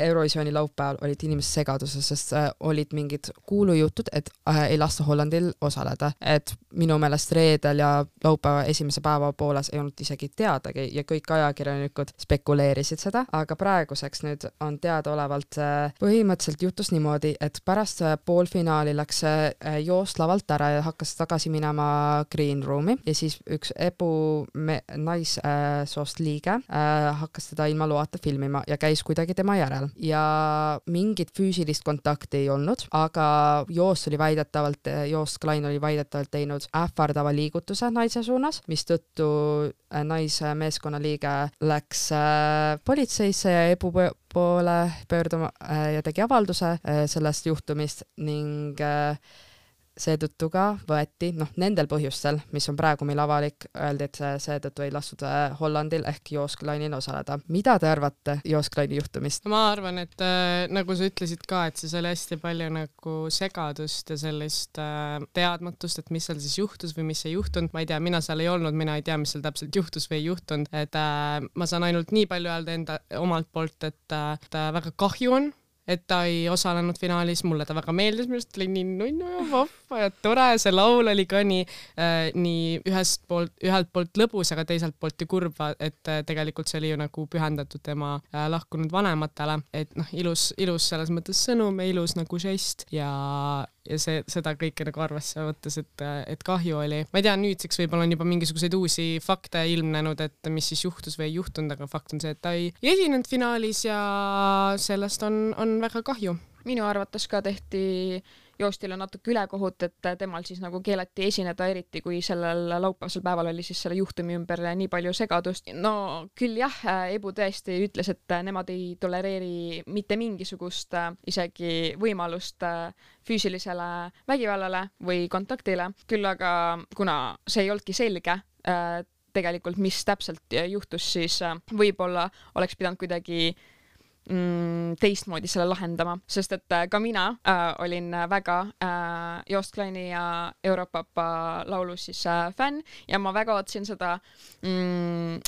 Eurovisiooni laupäeval olid inimesed segaduses, sest olid mingid kuulujutud, et ei lasta Hollandil osaleda. Et minu meelest reedel ja laupäeva esimese päeva pooles ei olnud isegi teada ja kõik ajakirjanikud spekuleerisid seda, aga praeguseks nüüd on teadaolevalt põhimõtteliselt juhtus niimoodi, et pärast poolfinaali läks joost lavalt ära ja hakkas tagasi minema green room'i ja siis üks EBU naissoost liige hakkas teda ilma loata filmima ja käis kuidagi tema järel ja mingit füüsilist kontakti ei olnud, aga Joost Klein oli väidetavalt teinud ähvardava liigutuse naise suunas, mistõttu meeskonna liige läks politseisse ja EBU poole pöörduma ja tegi avalduse sellest juhtumist ning seetõttu ka võeti, nendel põhjustel, mis on praegu meil avalik, öeldi, et seetõttu ei lastud Hollandil ehk Joosklanil osaleda. Mida te arvate Joosklani juhtumist? Ma arvan, et nagu sa ütlesid ka, et siis oli hästi palju nagu segadust ja sellist teadmatust, et mis seal siis juhtus või mis ei juhtunud. Ma ei tea, mina seal ei olnud, mina ei tea, mis seal täpselt juhtus või ei juhtunud. Et ma saan ainult nii palju öelda omalt poolt, et väga kahju on, et ta ei osalenud finaalis, mulle ta väga meeldis, minu arust oli nii nunnu ja vahva ja tore, see laul oli ka nii ühelt poolt lõbus, aga teiselt poolt ju kurva, et tegelikult see oli ju nagu pühendatud tema lahkunud vanematele, et ilus selles mõttes sõnum ja ilus nagu žest ja seda kõike nagu arvesse võttes, et kahju oli. Ma ei tea, nüüdseks võib-olla on juba mingisuguseid uusi fakte ilmnenud, et mis siis juhtus või ei juhtunud, aga fakt on see, et ta ei esinenud finaalis ja sellest on väga kahju. Minu arvates ka tehti Joostile natuke ülekohut, et temal siis nagu keelati esineda, eriti kui sellel laupäevasel päeval oli siis selle juhtumi ümber nii palju segadust. No küll jah, Ebu tõesti ütles, et nemad ei tolereeri mitte mingisugust isegi võimalust füüsilisele vägivallale või kontaktile. Küll aga kuna see ei olnudki selge, tegelikult mis täpselt juhtus, siis võib-olla oleks pidanud kuidagi teistmoodi selle lahendama, sest et ka mina olin väga Joosklani ja Europapa laulu siis fänn ja ma väga otsin seda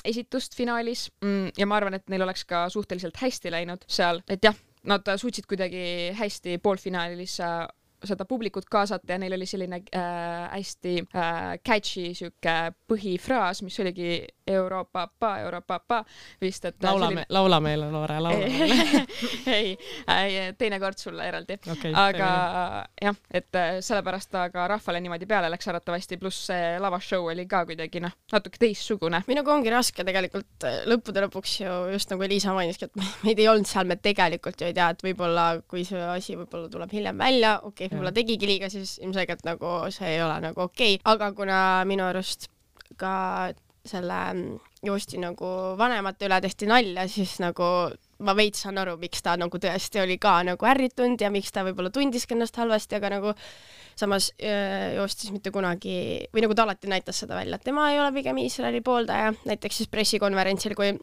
esitust finaalis ja ma arvan, et neil oleks ka suhteliselt hästi läinud seal, et jah, nad suutsid kuidagi hästi poolfinaalis seda publikut kaasata ja neil oli selline hästi catchy süke põhifraas, mis oligi Europapa vist, et laula meile, Loore, laula meile. ei, teinekord sulle eraldi. Okay, aga jah, et sellepärast ta ka rahvale niimoodi peale läks arvatavasti, pluss see lavashow oli ka kuidagi natuke teistsugune. Minuga ongi raske tegelikult lõppude lõpuks ju just nagu Liisa mainiski, et meid ei olnud seal, me tegelikult ju ei tea, et võib-olla kui see asi võib-olla tuleb hiljem välja, okei, võib-olla tegigi liiga, siis ilmselgelt nagu see ei ole nagu okei. Aga kuna minu arust ka selle Joosti nagu vanemate üle tehti nalja, siis nagu ma veits saan aru, miks ta nagu tõesti oli ka nagu ärritunud ja miks ta võib-olla tundiski ennast halvasti, aga nagu samas Joostis mitte kunagi, või nagu ta alati näitas seda välja, et tema ei ole pigem Iisraeli pooldaja. Näiteks siis pressikonverentsil, kui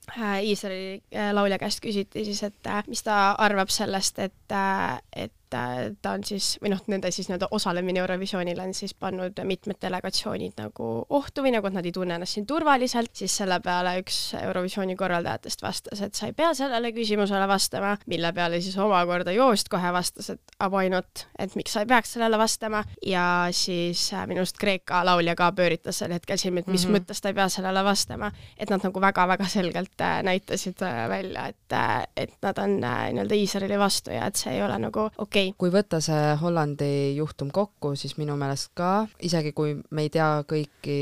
Iisraeli laulja käest küsiti siis, et mis ta arvab sellest, et ta on siis, või nende siis osalemine Eurovisioonil on siis pannud mitmed delegatsioonid nagu ohtu või nagu, et nad ei tunne ennast siin turvaliselt, siis selle peale üks Eurovisiooni korraldajatest vastas, et sa ei pea sellele küsimusele vastama, mille peale siis omakorda Joost kohe vastas, et why not, et miks sa ei peaks sellele vastama ja siis minust Kreeka laulja ka pööritas sel hetkel silmi, et mis mõttes ta ei pea sellele vastama, et nad nagu väga-väga selgelt näitasid välja, et nad on nii-öelda Iisraeli vastu ja et see ei ole nagu okei. Kui võtta see Hollandi juhtum kokku, siis minu meelest ka, isegi kui me ei tea kõiki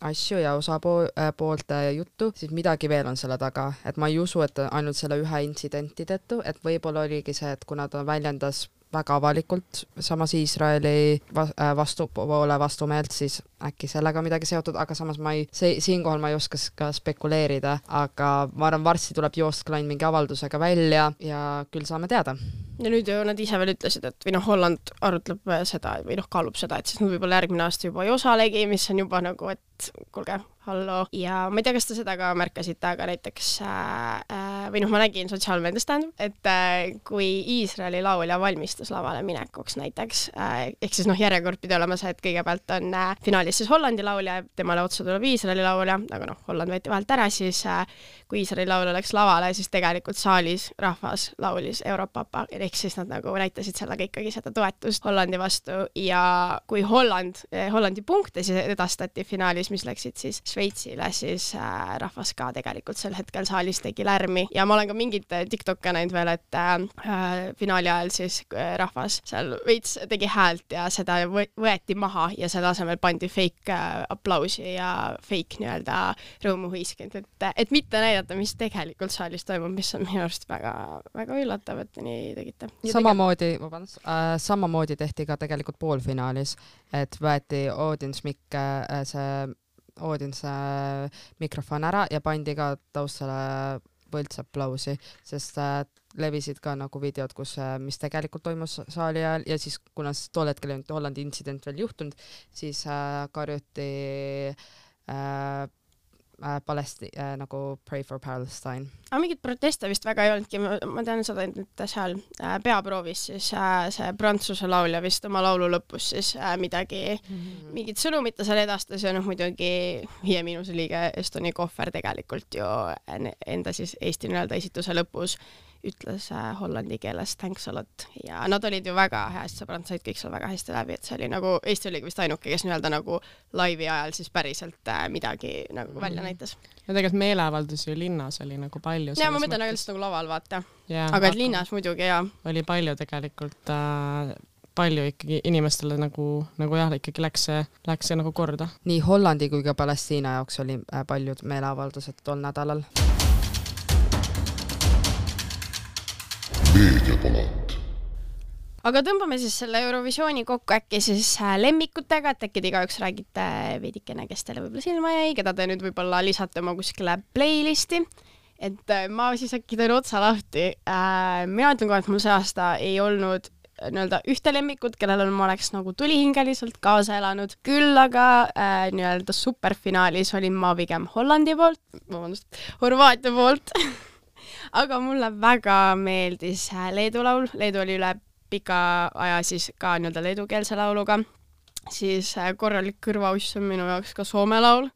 asju ja osapoolte juttu, siis midagi veel on selle taga, et ma ei usu, et ainult selle ühe intsidenti tõttu, et võib-olla oligi see, et kuna ta väljendas väga avalikult samas Iisraeli vastumeelt, siis äkki sellega midagi seotud, aga samas siinkohal ma ei oska ka spekuleerida, aga ma arvan, varsti tuleb Joostklein mingi avaldusega välja ja küll saame teada. Ja nüüd ju nad ise veel ütlesid, et või Holland arutleb seda või kaalub seda, et siis nad võib-olla järgmine aasta juba ei osalegi, mis on juba nagu, et kuulge, hallo. Ja ma ei tea, kas te seda ka märkasite, aga näiteks või ma nägin sotsiaalmeedias et kui Iisraeli laulja valmistus lavale minekuks näiteks, ehk siis järjekord pidi olema see, et kõigepealt on finaalis siis Hollandi laulja, temale otsa tuleb Iisraeli laulja, aga Holland võeti vahelt ära, siis kui Iisraeli laulja läks lavale, siis tegelikult saalis rahvas laulis Europapa, ehk siis nad nagu näitasid sellega ikkagi seda toetust Hollandi vastu ja kui Hollandi punkte siis edastati finaalis, mis läksid siis Šveitsile, siis rahvas ka tegelikult sel hetkel saalis tegi lärmi ja ma olen ka mingit TikTok'e näinud veel, et finaali ajal siis rahvas seal veits tegi häält ja seda võeti maha ja selle asemel pandi fake aplausi ja fake nii-öelda rõõmuhõiskend, et mitte näidata, mis tegelikult saalis toimub, mis on minu arust väga, väga üllatav, et nii tegite. Samamoodi tehti ka tegelikult poolfinaalis, et võeti Odinse mikrofon ära ja pandi ka taustale võltsaplausi, sest levisid ka nagu videod, kus, mis tegelikult toimus saali ajal ja siis kuna tol hetkel ei olnud Hollandi intsident veel juhtunud, siis karjuti nagu Pray for Palestine. Aga mingit proteste vist väga ei olnudki, ma tean seda, et seal peaproovis siis see Prantsuse laulja vist oma laulu lõpus siis mingit sõnumit ta seal edastas ja muidugi 5 liige Estoni Kohver tegelikult ju enda siis Eesti esituse lõpus ütles hollandi keeles thanks a lot ja nad olid ju väga hästi sõbrad, said kõik seal väga hästi läbi, et see oli nagu, Eesti oligi vist ainuke, kes nagu laivi ajal siis päriselt midagi nagu välja näitas. Ja tegelikult meeleavaldusi ju linnas oli nagu palju. Ja ma mõtlen aga lihtsalt nagu laval vaata, aga et linnas muidugi ja. Oli palju tegelikult, palju ikkagi inimestele nagu jah, ikkagi läks see nagu korda. Nii Hollandi kui ka Palestiina jaoks oli paljud meeleavaldused tol nädalal. Meediapalat. Aga tõmbame siis selle Eurovisiooni kokku äkki siis lemmikutega, et äkki te igaüks räägite veidikene, kes teile võib-olla silma jäi, keda te nüüd võib-olla lisate oma kuskile playlisti. Et ma siis äkki teen otsa lahti. Mina ütlen kohe, et mul see aasta ei olnud ühte lemmikut, kellel ma oleks nagu tulihingeliselt kaasa elanud. Küll aga superfinaalis olin ma pigem Hollandi poolt, Horvaatia poolt. Aga mulle väga meeldis Leedu laul. Leedu oli üle pika aja siis ka leedukeelse lauluga. Siis korralik kõrvauss on minu jaoks ka Soome laul.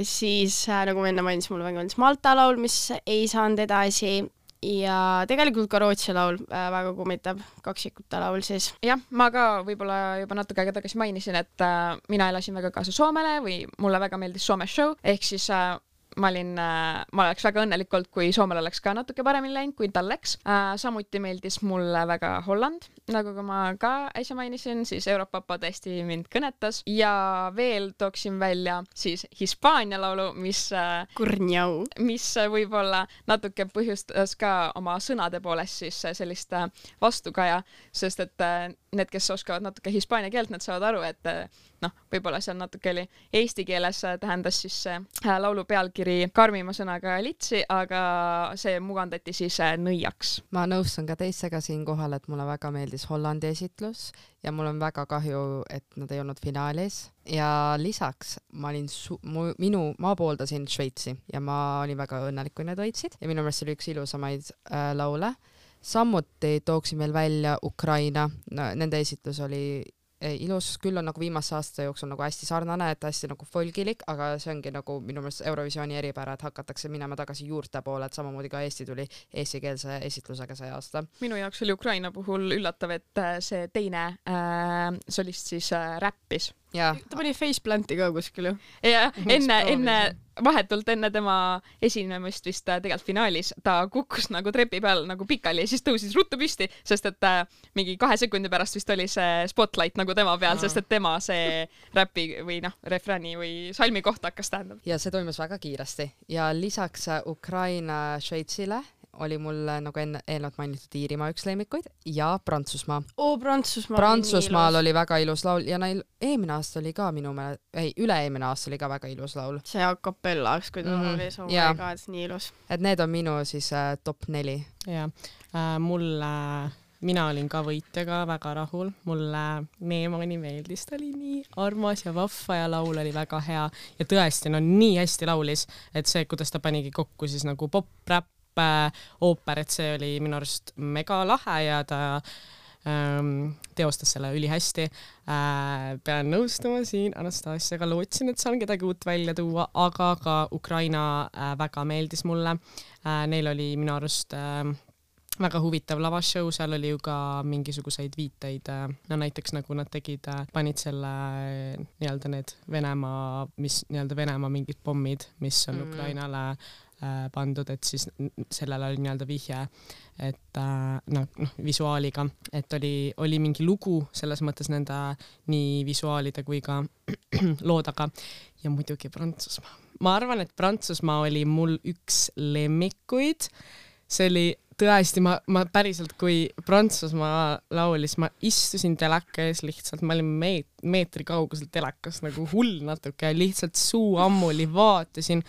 Siis nagu enne mainis, mulle väga meeldis Malta laul, mis ei saanud edasi. Ja tegelikult ka Rootsi laul väga kummitab, kaksikute laul siis. Jah, ma ka võib-olla juba natuke aega tagasi mainisin, et mina elasin väga kaasa Soomele või mulle väga meeldis Soome show, ehk siis ma oleks väga õnnelikult, kui Soomel oleks ka natuke paremini läinud, kui tal läks. Samuti meeldis mulle väga Holland, nagu ma ka äsja mainisin, siis Europapa tõesti mind kõnetas ja veel tooksin välja siis Hispaania laulu, mis võib-olla natuke põhjustas ka oma sõnade poolest siis sellist vastukaja, sest et need, kes oskavad natuke hispaania keelt, need saavad aru, et võib-olla seal natuke oli eesti keeles tähendas siis laulu pealkiri karmima sõnaga litsi, aga see mugandati siis nõiaks. Ma nõustun ka teistega siin kohal, et mulle väga meeldis Hollandi esitlus ja mul on väga kahju, et nad ei olnud finaalis ja lisaks ma pooldasin Šveitsi ja ma olin väga õnnelik, kui need võitsid ja minu meelest oli üks ilusamaid laule. Samuti tooksin veel välja Ukraina, nende esitlus oli ilus, küll on nagu viimase aasta jooksul nagu hästi sarnane, et hästi nagu folgilik, aga see ongi nagu minu meelest Eurovisiooni eripära, et hakatakse minema tagasi juurte poole, et samamoodi ka Eesti tuli eestikeelse esitlusega see aasta. Minu jaoks oli Ukraina puhul üllatav, et see teine solist siis räppis. Ja. Ta pani faceplanti ka kuskil ju. Ja vahetult enne tema esinemist vist tegelikult finaalis ta kukkus nagu trepi peal nagu pikali ja siis tõusis ruttu püsti, sest et mingi 2 sekundi pärast vist oli see spotlight nagu tema peal, sest et tema see räpi või refräni või salmi kohta hakkas tähendab. Ja see toimus väga kiiresti ja lisaks Ukraina Šveitsile oli mul nagu eelnevalt mainitud Iirimaa üks lemmikuid ja Prantsusmaa. Prantsusmaal oli väga ilus laul ja neil eelmine aasta oli ka üle-eelmine aasta oli ka väga ilus laul. See a cappellaks, kui ta oli Soome ka, et nii ilus. Et need on minu siis top 4. Ja, mina olin ka võitjaga väga rahul. Mulle Neemani meeldis, ta oli nii armas ja vahva ja laul oli väga hea ja tõesti, nii hästi laulis, et see, kuidas ta panigi kokku siis nagu pop-rap ooper, et see oli minu arust mega lahe ja ta teostas selle ülihästi. Pean nõustuma siin Anastasiaga, lootsin, et saan kedagi uut välja tuua, aga ka Ukraina väga meeldis mulle. Neil oli minu arust väga huvitav lavashow, seal oli ju ka mingisuguseid viiteid, näiteks nagu nad panid selle need Venemaa mingid pommid, mis on Ukrainale pandud, et siis sellele oli vihje, et visuaaliga, et oli mingi lugu selles mõttes nende nii visuaalide kui ka loodaga ja muidugi Prantsusmaa. Ma arvan, et Prantsusmaa oli mul üks lemmikuid. See oli tõesti, ma päriselt, kui Prantsusmaa laulis, ma istusin teleka ees lihtsalt, ma olin meetri kauguselt telekas nagu hull natuke, lihtsalt suu ammuli vaatasin.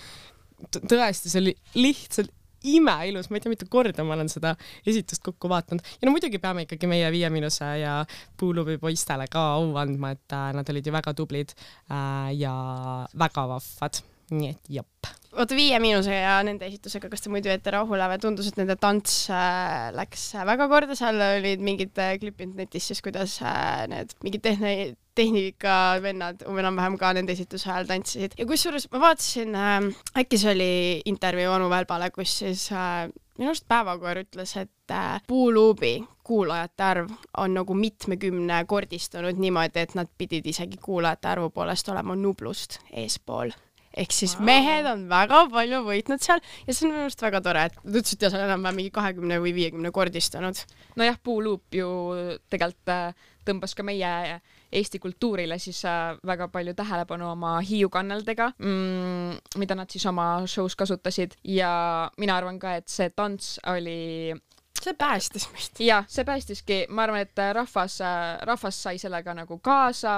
Tõesti, see oli lihtsalt imeilus, ma ei tea, mitu korda ma olen seda esitust kokku vaatanud. Ja no muidugi peame ikkagi meie 5 ja Puulubi poistele ka au andma, et nad olid ju väga tublid ja väga vahvad. Nii et jop. Oota 5 ja nende esitusega, kas te muidu ette rahule või tundus, et nende tants läks väga korda, seal olid mingid klipid netis, siis kuidas need mingid tehnika vennad enam-vähem ka nende esituse ajal tantsisid. Ja kusjuures ma vaatasin, äkki see oli intervjuu Onu Välbale, kus siis minust Päevakoer ütles, et Puulubi kuulajate arv on nagu 70 kordistunud niimoodi, et nad pidid isegi kuulajate arvu poolest olema Nublust eespool. Ehk siis mehed on väga palju võitnud seal ja see on minu arust väga tore, et nad ütlesid, et see on enam mingi 20 või 50 kordistunud. Nojah, Puuluup ju tegelikult tõmbas ka meie Eesti kultuurile siis väga palju tähelepanu oma hiiukannaldega, mida nad siis oma shows kasutasid ja mina arvan ka, et see tants oli... See päästis meist. Ja, see päästiski. Ma arvan, et rahvas sai sellega nagu kaasa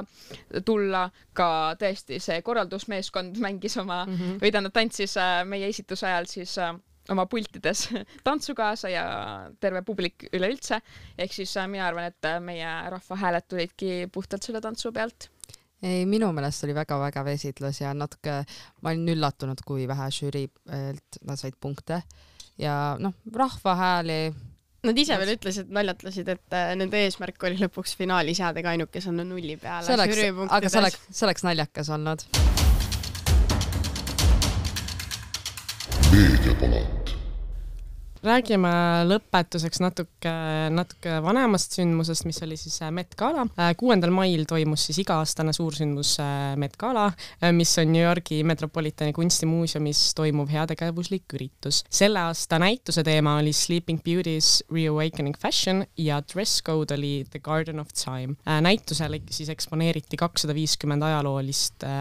tulla, ka tõesti see korraldusmeeskond mängis oma, või tähendab tantsis meie esituse ajal siis oma pultides tantsu kaasa ja terve publik üleüldse. Ehk siis mina arvan, et meie rahva hääled tulidki puhtalt selle tantsu pealt. Ei, minu meelest oli väga esitlus ja natuke ma olin üllatunud, kui vähe žüriilt nad said punkte ja rahva hääli. Nad ise veel ütlesid, naljatlesid, et nende eesmärk oli lõpuks finaalis jäädega ainukes on 0 peale. Aga see oleks naljakas olnud. Meediapalat. Räägime lõpetuseks natuke vanemast sündmusest, mis oli siis Met Gala. 6. mail toimus siis iga-aastane suursündmus Met Gala, mis on New Yorgi Metropolitani kunstimuuseumis toimuv heategevuslik üritus. Selle aasta näituse teema oli Sleeping Beauty's Reawakening Fashion ja dress code oli The Garden of Time. Näitusel siis eksponeeriti 250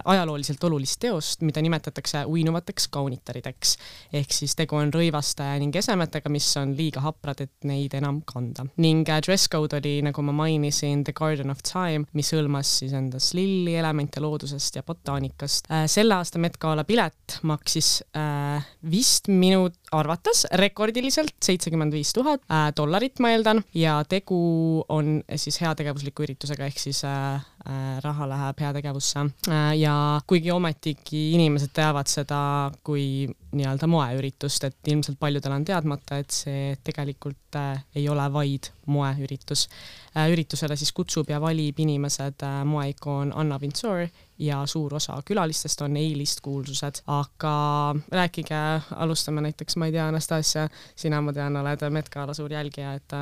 ajalooliselt olulist teost, mida nimetatakse uinuvateks kaunitarideks. Ehk siis tegu on rõivaste ning esemetega, mis on liiga haprad, et neid enam kanda. Ning dress code oli, nagu ma mainisin, The Garden of Time, mis hõlmas siis endas lilli, elemente loodusest ja botaanikast. Selle aasta Met Gala pilet maksis vist minu arvates rekordiliselt $75,000, ma eeldan, ja tegu on siis heategevusliku üritusega, ehk siis raha läheb heategevusse. Ja kuigi ometigi inimesed teavad seda kui nii-öelda moeüritust, et ilmselt paljudel on teadmata, et see tegelikult ei ole vaid moeüritus. Üritusele siis kutsub ja valib inimesed moeikoon Anna Wintour ja suur osa külalistest on A-list kuulsused. Aga rääkige, alustame näiteks, ma ei tea, Anastasia, sina, ma tean, oled Met Gala suur jälgija, et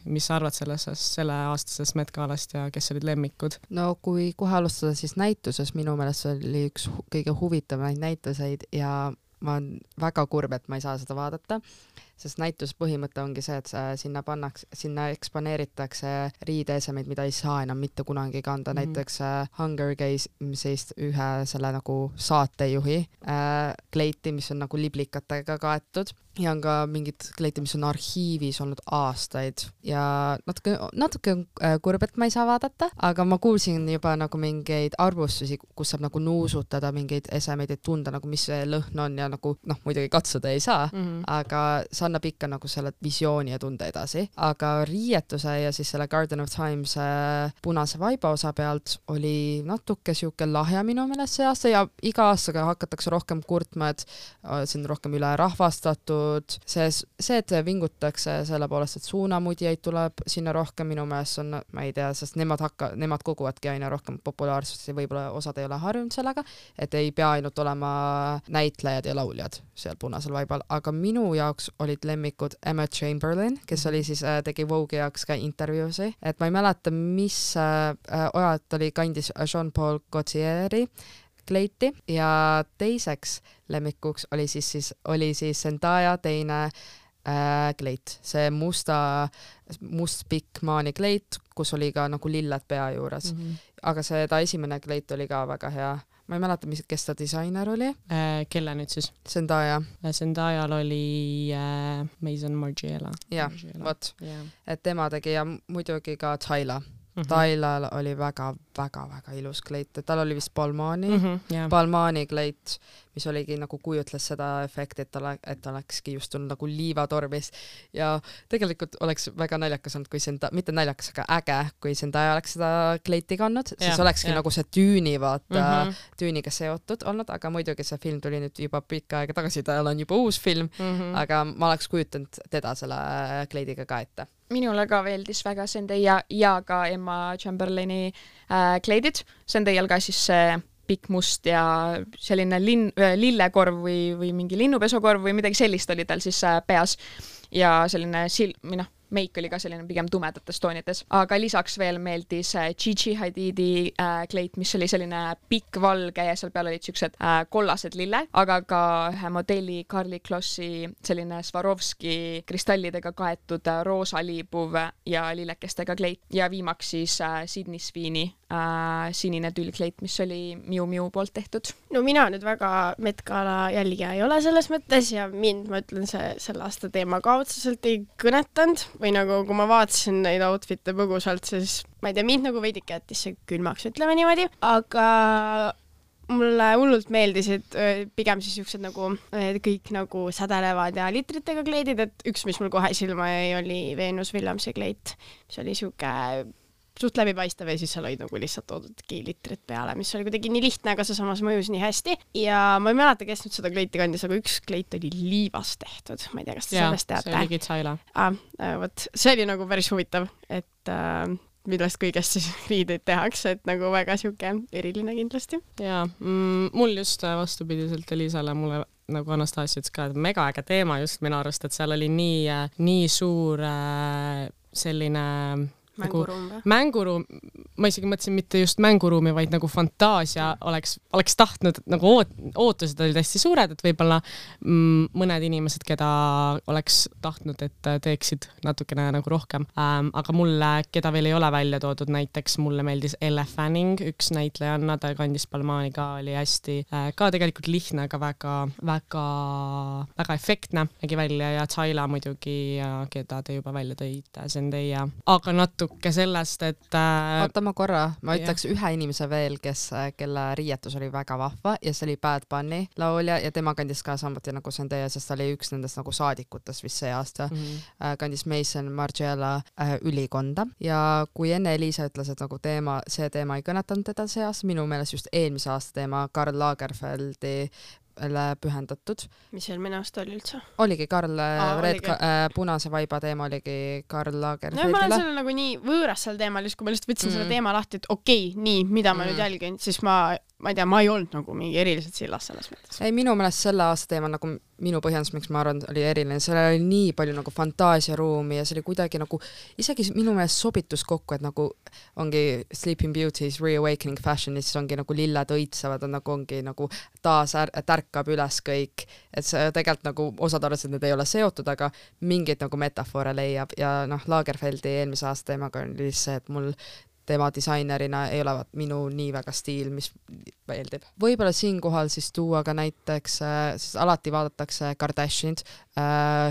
mis arvad selle aastasest Met Galast ja kes olid lemmikud? No kui kohe alustada, siis näituses minu meelest oli üks kõige huvitamaid näituseid ja ma olen väga kurb, et ma ei saa seda vaadata, sest näitus põhimõte ongi see, et sinna eksponeeritakse riideesemeid, mida ei saa enam mitte kunagi kanda. Näiteks Hunger Games'ist ühe selle nagu saatejuhi kleiti, mis on nagu liblikatega kaetud ja on ka mingid kleiti, mis on arhiivis olnud aastaid ja natuke kurb, et ma ei saa vaadata, aga ma kuulsin juba nagu mingeid arvustusi, kus saab nagu nuusutada mingeid esemeid, et tunda nagu mis see lõhn on ja nagu muidugi katsuda ei saa, aga see annab ikka nagu selle visiooni ja tunde edasi. Aga riietuse ja siis selle Garden of Times punase vaiba osa pealt oli natuke siuke lahja minu meelest see aasta ja iga aastaga hakatakse rohkem kurtma, et see on rohkem üle rahvastatud. See, et vingutakse selle poolest, et suunamudjaid tuleb sinna rohkem, minu meelest on, ma ei tea, sest nemad koguvadki aina rohkem populaarsust ja võib-olla osad ei ole harjunud sellega, et ei pea ainult olema näitlejad ja lauljad seal punasel vaibal, aga minu jaoks olid lemmikud Emma Chamberlain, kes oli siis, tegi Vogue'i jaoks ka intervjuusi, et ma ei mäleta, mis ojalt oli kandis Jean-Paul Gaultieri kleiti ja teiseks lemmikuks oli siis Zendaya teine kleit, see must pikk maani kleit, kus oli ka nagu lilled pea juures. Aga ta esimene kleit oli ka väga hea. Ma ei mäleta, kes ta disainer oli. Kelle nüüd siis? Zendaya. Zendayal oli Maison Margiela. Jah, vot. Et tema tegi ja muidugi ka Tyla. Tylal oli väga ilus kleit. Tal oli vist Balmaani kleit, mis oligi nagu kujutles seda efekti, et olekski just tulnud nagu liivatormis ja tegelikult oleks väga naljakas olnud, kui mitte naljakas, aga äge, kui Zendaya oleks seda kleiti kandnud, siis olekski nagu see tüüni tüüniga seotud olnud, aga muidugi see film tuli nüüd juba pikka aega tagasi, tal on juba uus film, aga ma oleks kujutanud teda selle kleidiga ka ette. Minule ka veeldis väga Zendaya ja ka Emma Chamberlaini kleidid. Zendayal ka siis see pikk must ja selline lillekorv või mingi linnupesokorv või midagi sellist oli tal siis peas ja selline meik oli ka selline pigem tumedates toonides, aga lisaks veel meeldis Gigi Hadidi kleit, mis oli selline pikk valge ja seal peal olid siuksed kollased lille, aga ka ühe modelli Karli Klossi selline Swarovski kristallidega kaetud roosa liibuv ja lillekestega kleit ja viimaks siis Sydney Sweeney sinine tüllkleit, mis oli Miu Miu poolt tehtud. No mina nüüd väga Met Gala jälgija ei ole selles mõttes ja mind, ma ütlen, selle aasta teema ka otseselt ei kõnetanud või nagu kui ma vaatasin neid outfit'e põgusalt, siis ma ei tea, mind nagu veidike jättis see külmaks, ütleme niimoodi, aga mulle hullult meeldisid pigem siis siuksed nagu kõik nagu sädelevad ja litritega kleidid, et üks, mis mul kohe silma jäi, oli Venus Williamsi kleit, mis oli siuke suht läbipaistev ja siis seal olid nagu lihtsalt toodudki litrit peale, mis oli kuidagi nii lihtne, aga see samas mõjus nii hästi. Ja ma ei mäleta, kes nüüd seda kleiti kandis, aga üks kleit oli liivast tehtud. Ma ei tea, kas te sellest teate. See oli Kitsaila. See oli nagu päris huvitav, et millest kõigest siis riideid tehakse, et nagu väga siuke eriline kindlasti. Ja, mul just vastupidiselt Elisale mulle nagu Anastasia ütles ka, et mega äge teema just minu arust, et seal oli nii suur selline mänguruum, ma isegi mõtlesin mitte just mänguruumi, vaid nagu fantaasia oleks tahtnud, nagu ootused olid hästi suured, et võib-olla mõned inimesed, keda oleks tahtnud, et teeksid natukene nagu rohkem. Aga mulle, keda veel ei ole välja toodud, näiteks mulle meeldis Elle Fanning, üks näitlejanna, ta kandis Balmaani ka, oli hästi ka tegelikult lihtne, aga väga efektne nägi välja ja Tsaila muidugi, keda te juba välja tõite, Zendaya, aga sellest, et oota ma korra, ma ütleks ühe inimese veel, kelle riietus oli väga vahva ja see oli Bad Bunny laulja ja tema kandis ka samuti nagu Zendaya, sest ta oli üks nendest nagu saadikutest vist see aasta, kandis Mason Margiela ülikonda ja kui enne Elisa ütles, et nagu see teema ei kõnetanud teda see aasta, minu meelest just eelmise aasta teema Karl Lagerfeldi pühendatud. Mis eelmine aasta oli üldse? Oligi Karl, punase vaiba teema oligi Karl Lagerfeldile. No, ma olen selle nagu nii võõras seal teemal, just kui ma lihtsalt võtsin selle teema lahti, et okei, nii, mida ma nüüd jälgin, siis ma ei tea, ma ei olnud nagu mingi eriliselt sillas selles mõttes. Ei, minu meelest selle aasta teema nagu minu põhjendus, miks ma arvan, oli eriline, seal oli nii palju nagu fantaasiaruumi ja see oli kuidagi nagu, isegi minu meelest sobitus kokku, et nagu ongi Sleeping Beauty's Reawakening Fashion, siis ongi nagu lilled õitsevad, ongi nagu taas tärkab üles kõik, et see tegelikult nagu osad arvasid, et need ei ole seotud, aga mingeid nagu metafoore leiab ja Lagerfeldi eelmise aasta teemaga oli see, et mul tema disainerina ei ole minu nii väga stiil, mis meeldib. Võib-olla siinkohal siis tuua ka näiteks, siis alati vaadatakse Kardashianid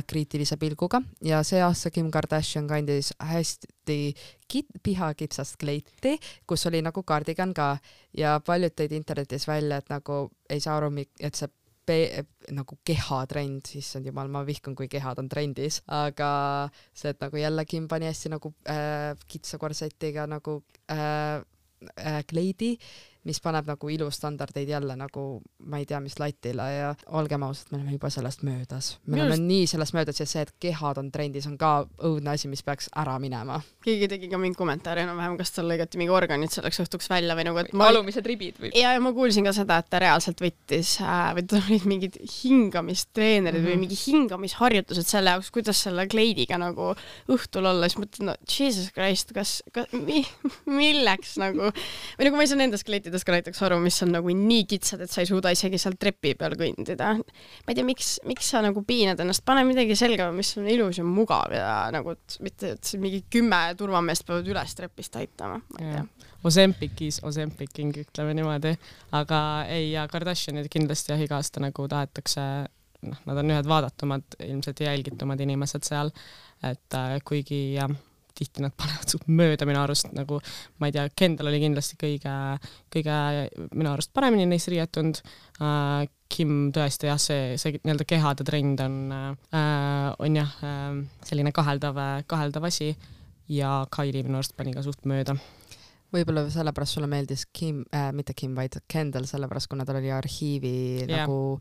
kriitilise pilguga ja see aasta Kim Kardashian kandis hästi pihakitsast kleiti, kus oli nagu kardigan ka ja paljud tõid internetis välja, et nagu ei saa aru, et see nagu kehatrend, siis on jumal, ma vihkan, kui kehad on trendis, aga see, et nagu jälle Kim pani hästi nagu kitsa korsetiga nagu kleidi, mis paneb nagu ilustandardeid jälle nagu, ma ei tea, mis latile ja olgem ausalt, me oleme juba sellest möödas. Me oleme nii sellest möödas ja see, et kehad on trendis, on ka õudne asi, mis peaks ära minema. Keegi tegi ka mingi kommentaari, vähem kas tal lõigati mingi organid selleks õhtuks välja või nagu, et alumised ribid või? Ja ma kuulsin ka seda, et ta reaalselt võttis või tal olid mingid hingamistreenerid või mingi hingamisharjutused selle jaoks, kuidas selle kleidiga nagu õhtul olla, siis mõtled, no Jesus Christ, kas milleks nagu, või nagu ma ei saa nendest kleitidest ka näiteks aru, mis on nagu nii kitsad, et sa ei suuda isegi seal trepi peal kõndida. Ma ei tea, miks sa nagu piinad ennast, pane midagi selga, mis on ilus ja mugav ja nagu mitte, et mingi 10 turvameest peavad üles trepist aitama. Ma ei tea. Ozempicking, ütleme niimoodi. Aga ei, ja Kardashianid kindlasti iga aasta nagu tahetakse, nad on ühed vaadatumad, ilmselt jälgitumad inimesed seal, et kuigi tihti nad panevad suht mööda minu arust, nagu ma ei tea, Kendall oli kindlasti kõige minu arust paremini neist riietunud. Kim tõesti jah, see nii-öelda kehade trend on jah selline kaheldav asi ja Kylie minu arust pani ka suht mööda. Võib-olla sellepärast sulle meeldis mitte Kim, vaid Kendall, sellepärast kuna tal oli arhiivi nagu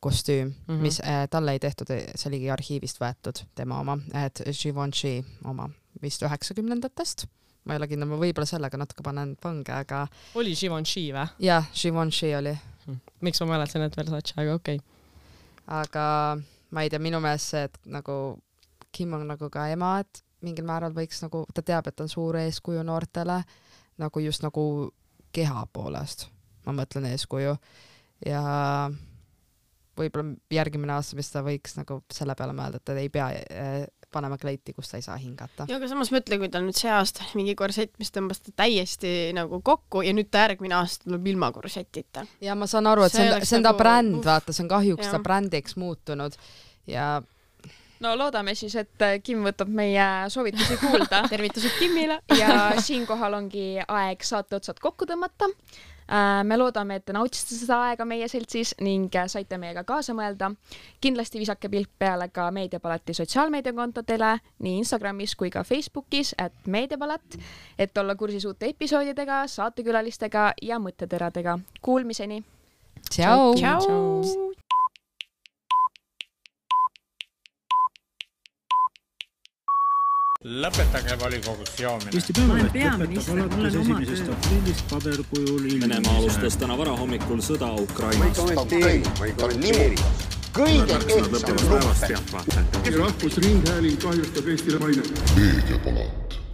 kostüüm, mis talle ei tehtud, see oligi arhiivist võetud tema oma, et Givenchy oma vist 90-ndatest. Ma ei ole kindel, ma võib-olla sellega natuke panen pange, aga... Oli Givenchy või? Jah, Givenchy oli. Miks ma mäletsen, et Versace, aga okei. Aga ma ei tea, minu meelest see, et nagu Kim on nagu ka ema, et mingil määral võiks nagu, ta teab, et on suur eeskuju noortele, nagu just nagu keha poolest, ma mõtlen eeskuju. Ja võib-olla järgmine aasta, mis ta võiks nagu selle peale mõelda, et ta ei pea panema kleiti, kus ta ei saa hingata. Ja aga samas mõtle, kui ta nüüd see aasta mingi korsett, mis tõmbas ta täiesti nagu kokku ja nüüd ta järgmine aasta tuleb ilma korsettita. Ja ma saan aru, et see on ta bränd, vaata, see on kahjuks ta brändiks muutunud ja no loodame siis, et Kim võtab meie soovitusi kuulda. Tervitused Kimile. Ja siinkohal ongi aeg saate otsad kokku tõmmata. Me loodame, et te nautisite seda aega meie seltsis ning saite meiega kaasa mõelda. Kindlasti visake pilk peale ka Meediapalati sotsiaalmeediakontodele nii Instagramis kui ka Facebookis @meediapalat, et olla kursis uute episoodidega, saatekülalistega ja mõtteteradega. Kuulmiseni! Ciao! Ciao! Lõpetage volikogus joomine. Eesti Päevaleht lõpetab alates 1. aprillist paberkujul Venemaa alustas täna varahommikul sõda Ukrainas. Ma ei kommenteeri. Kõige ehtsam luppe. Rahvusringhääling kahjustab Eestile maine. Meediapalat.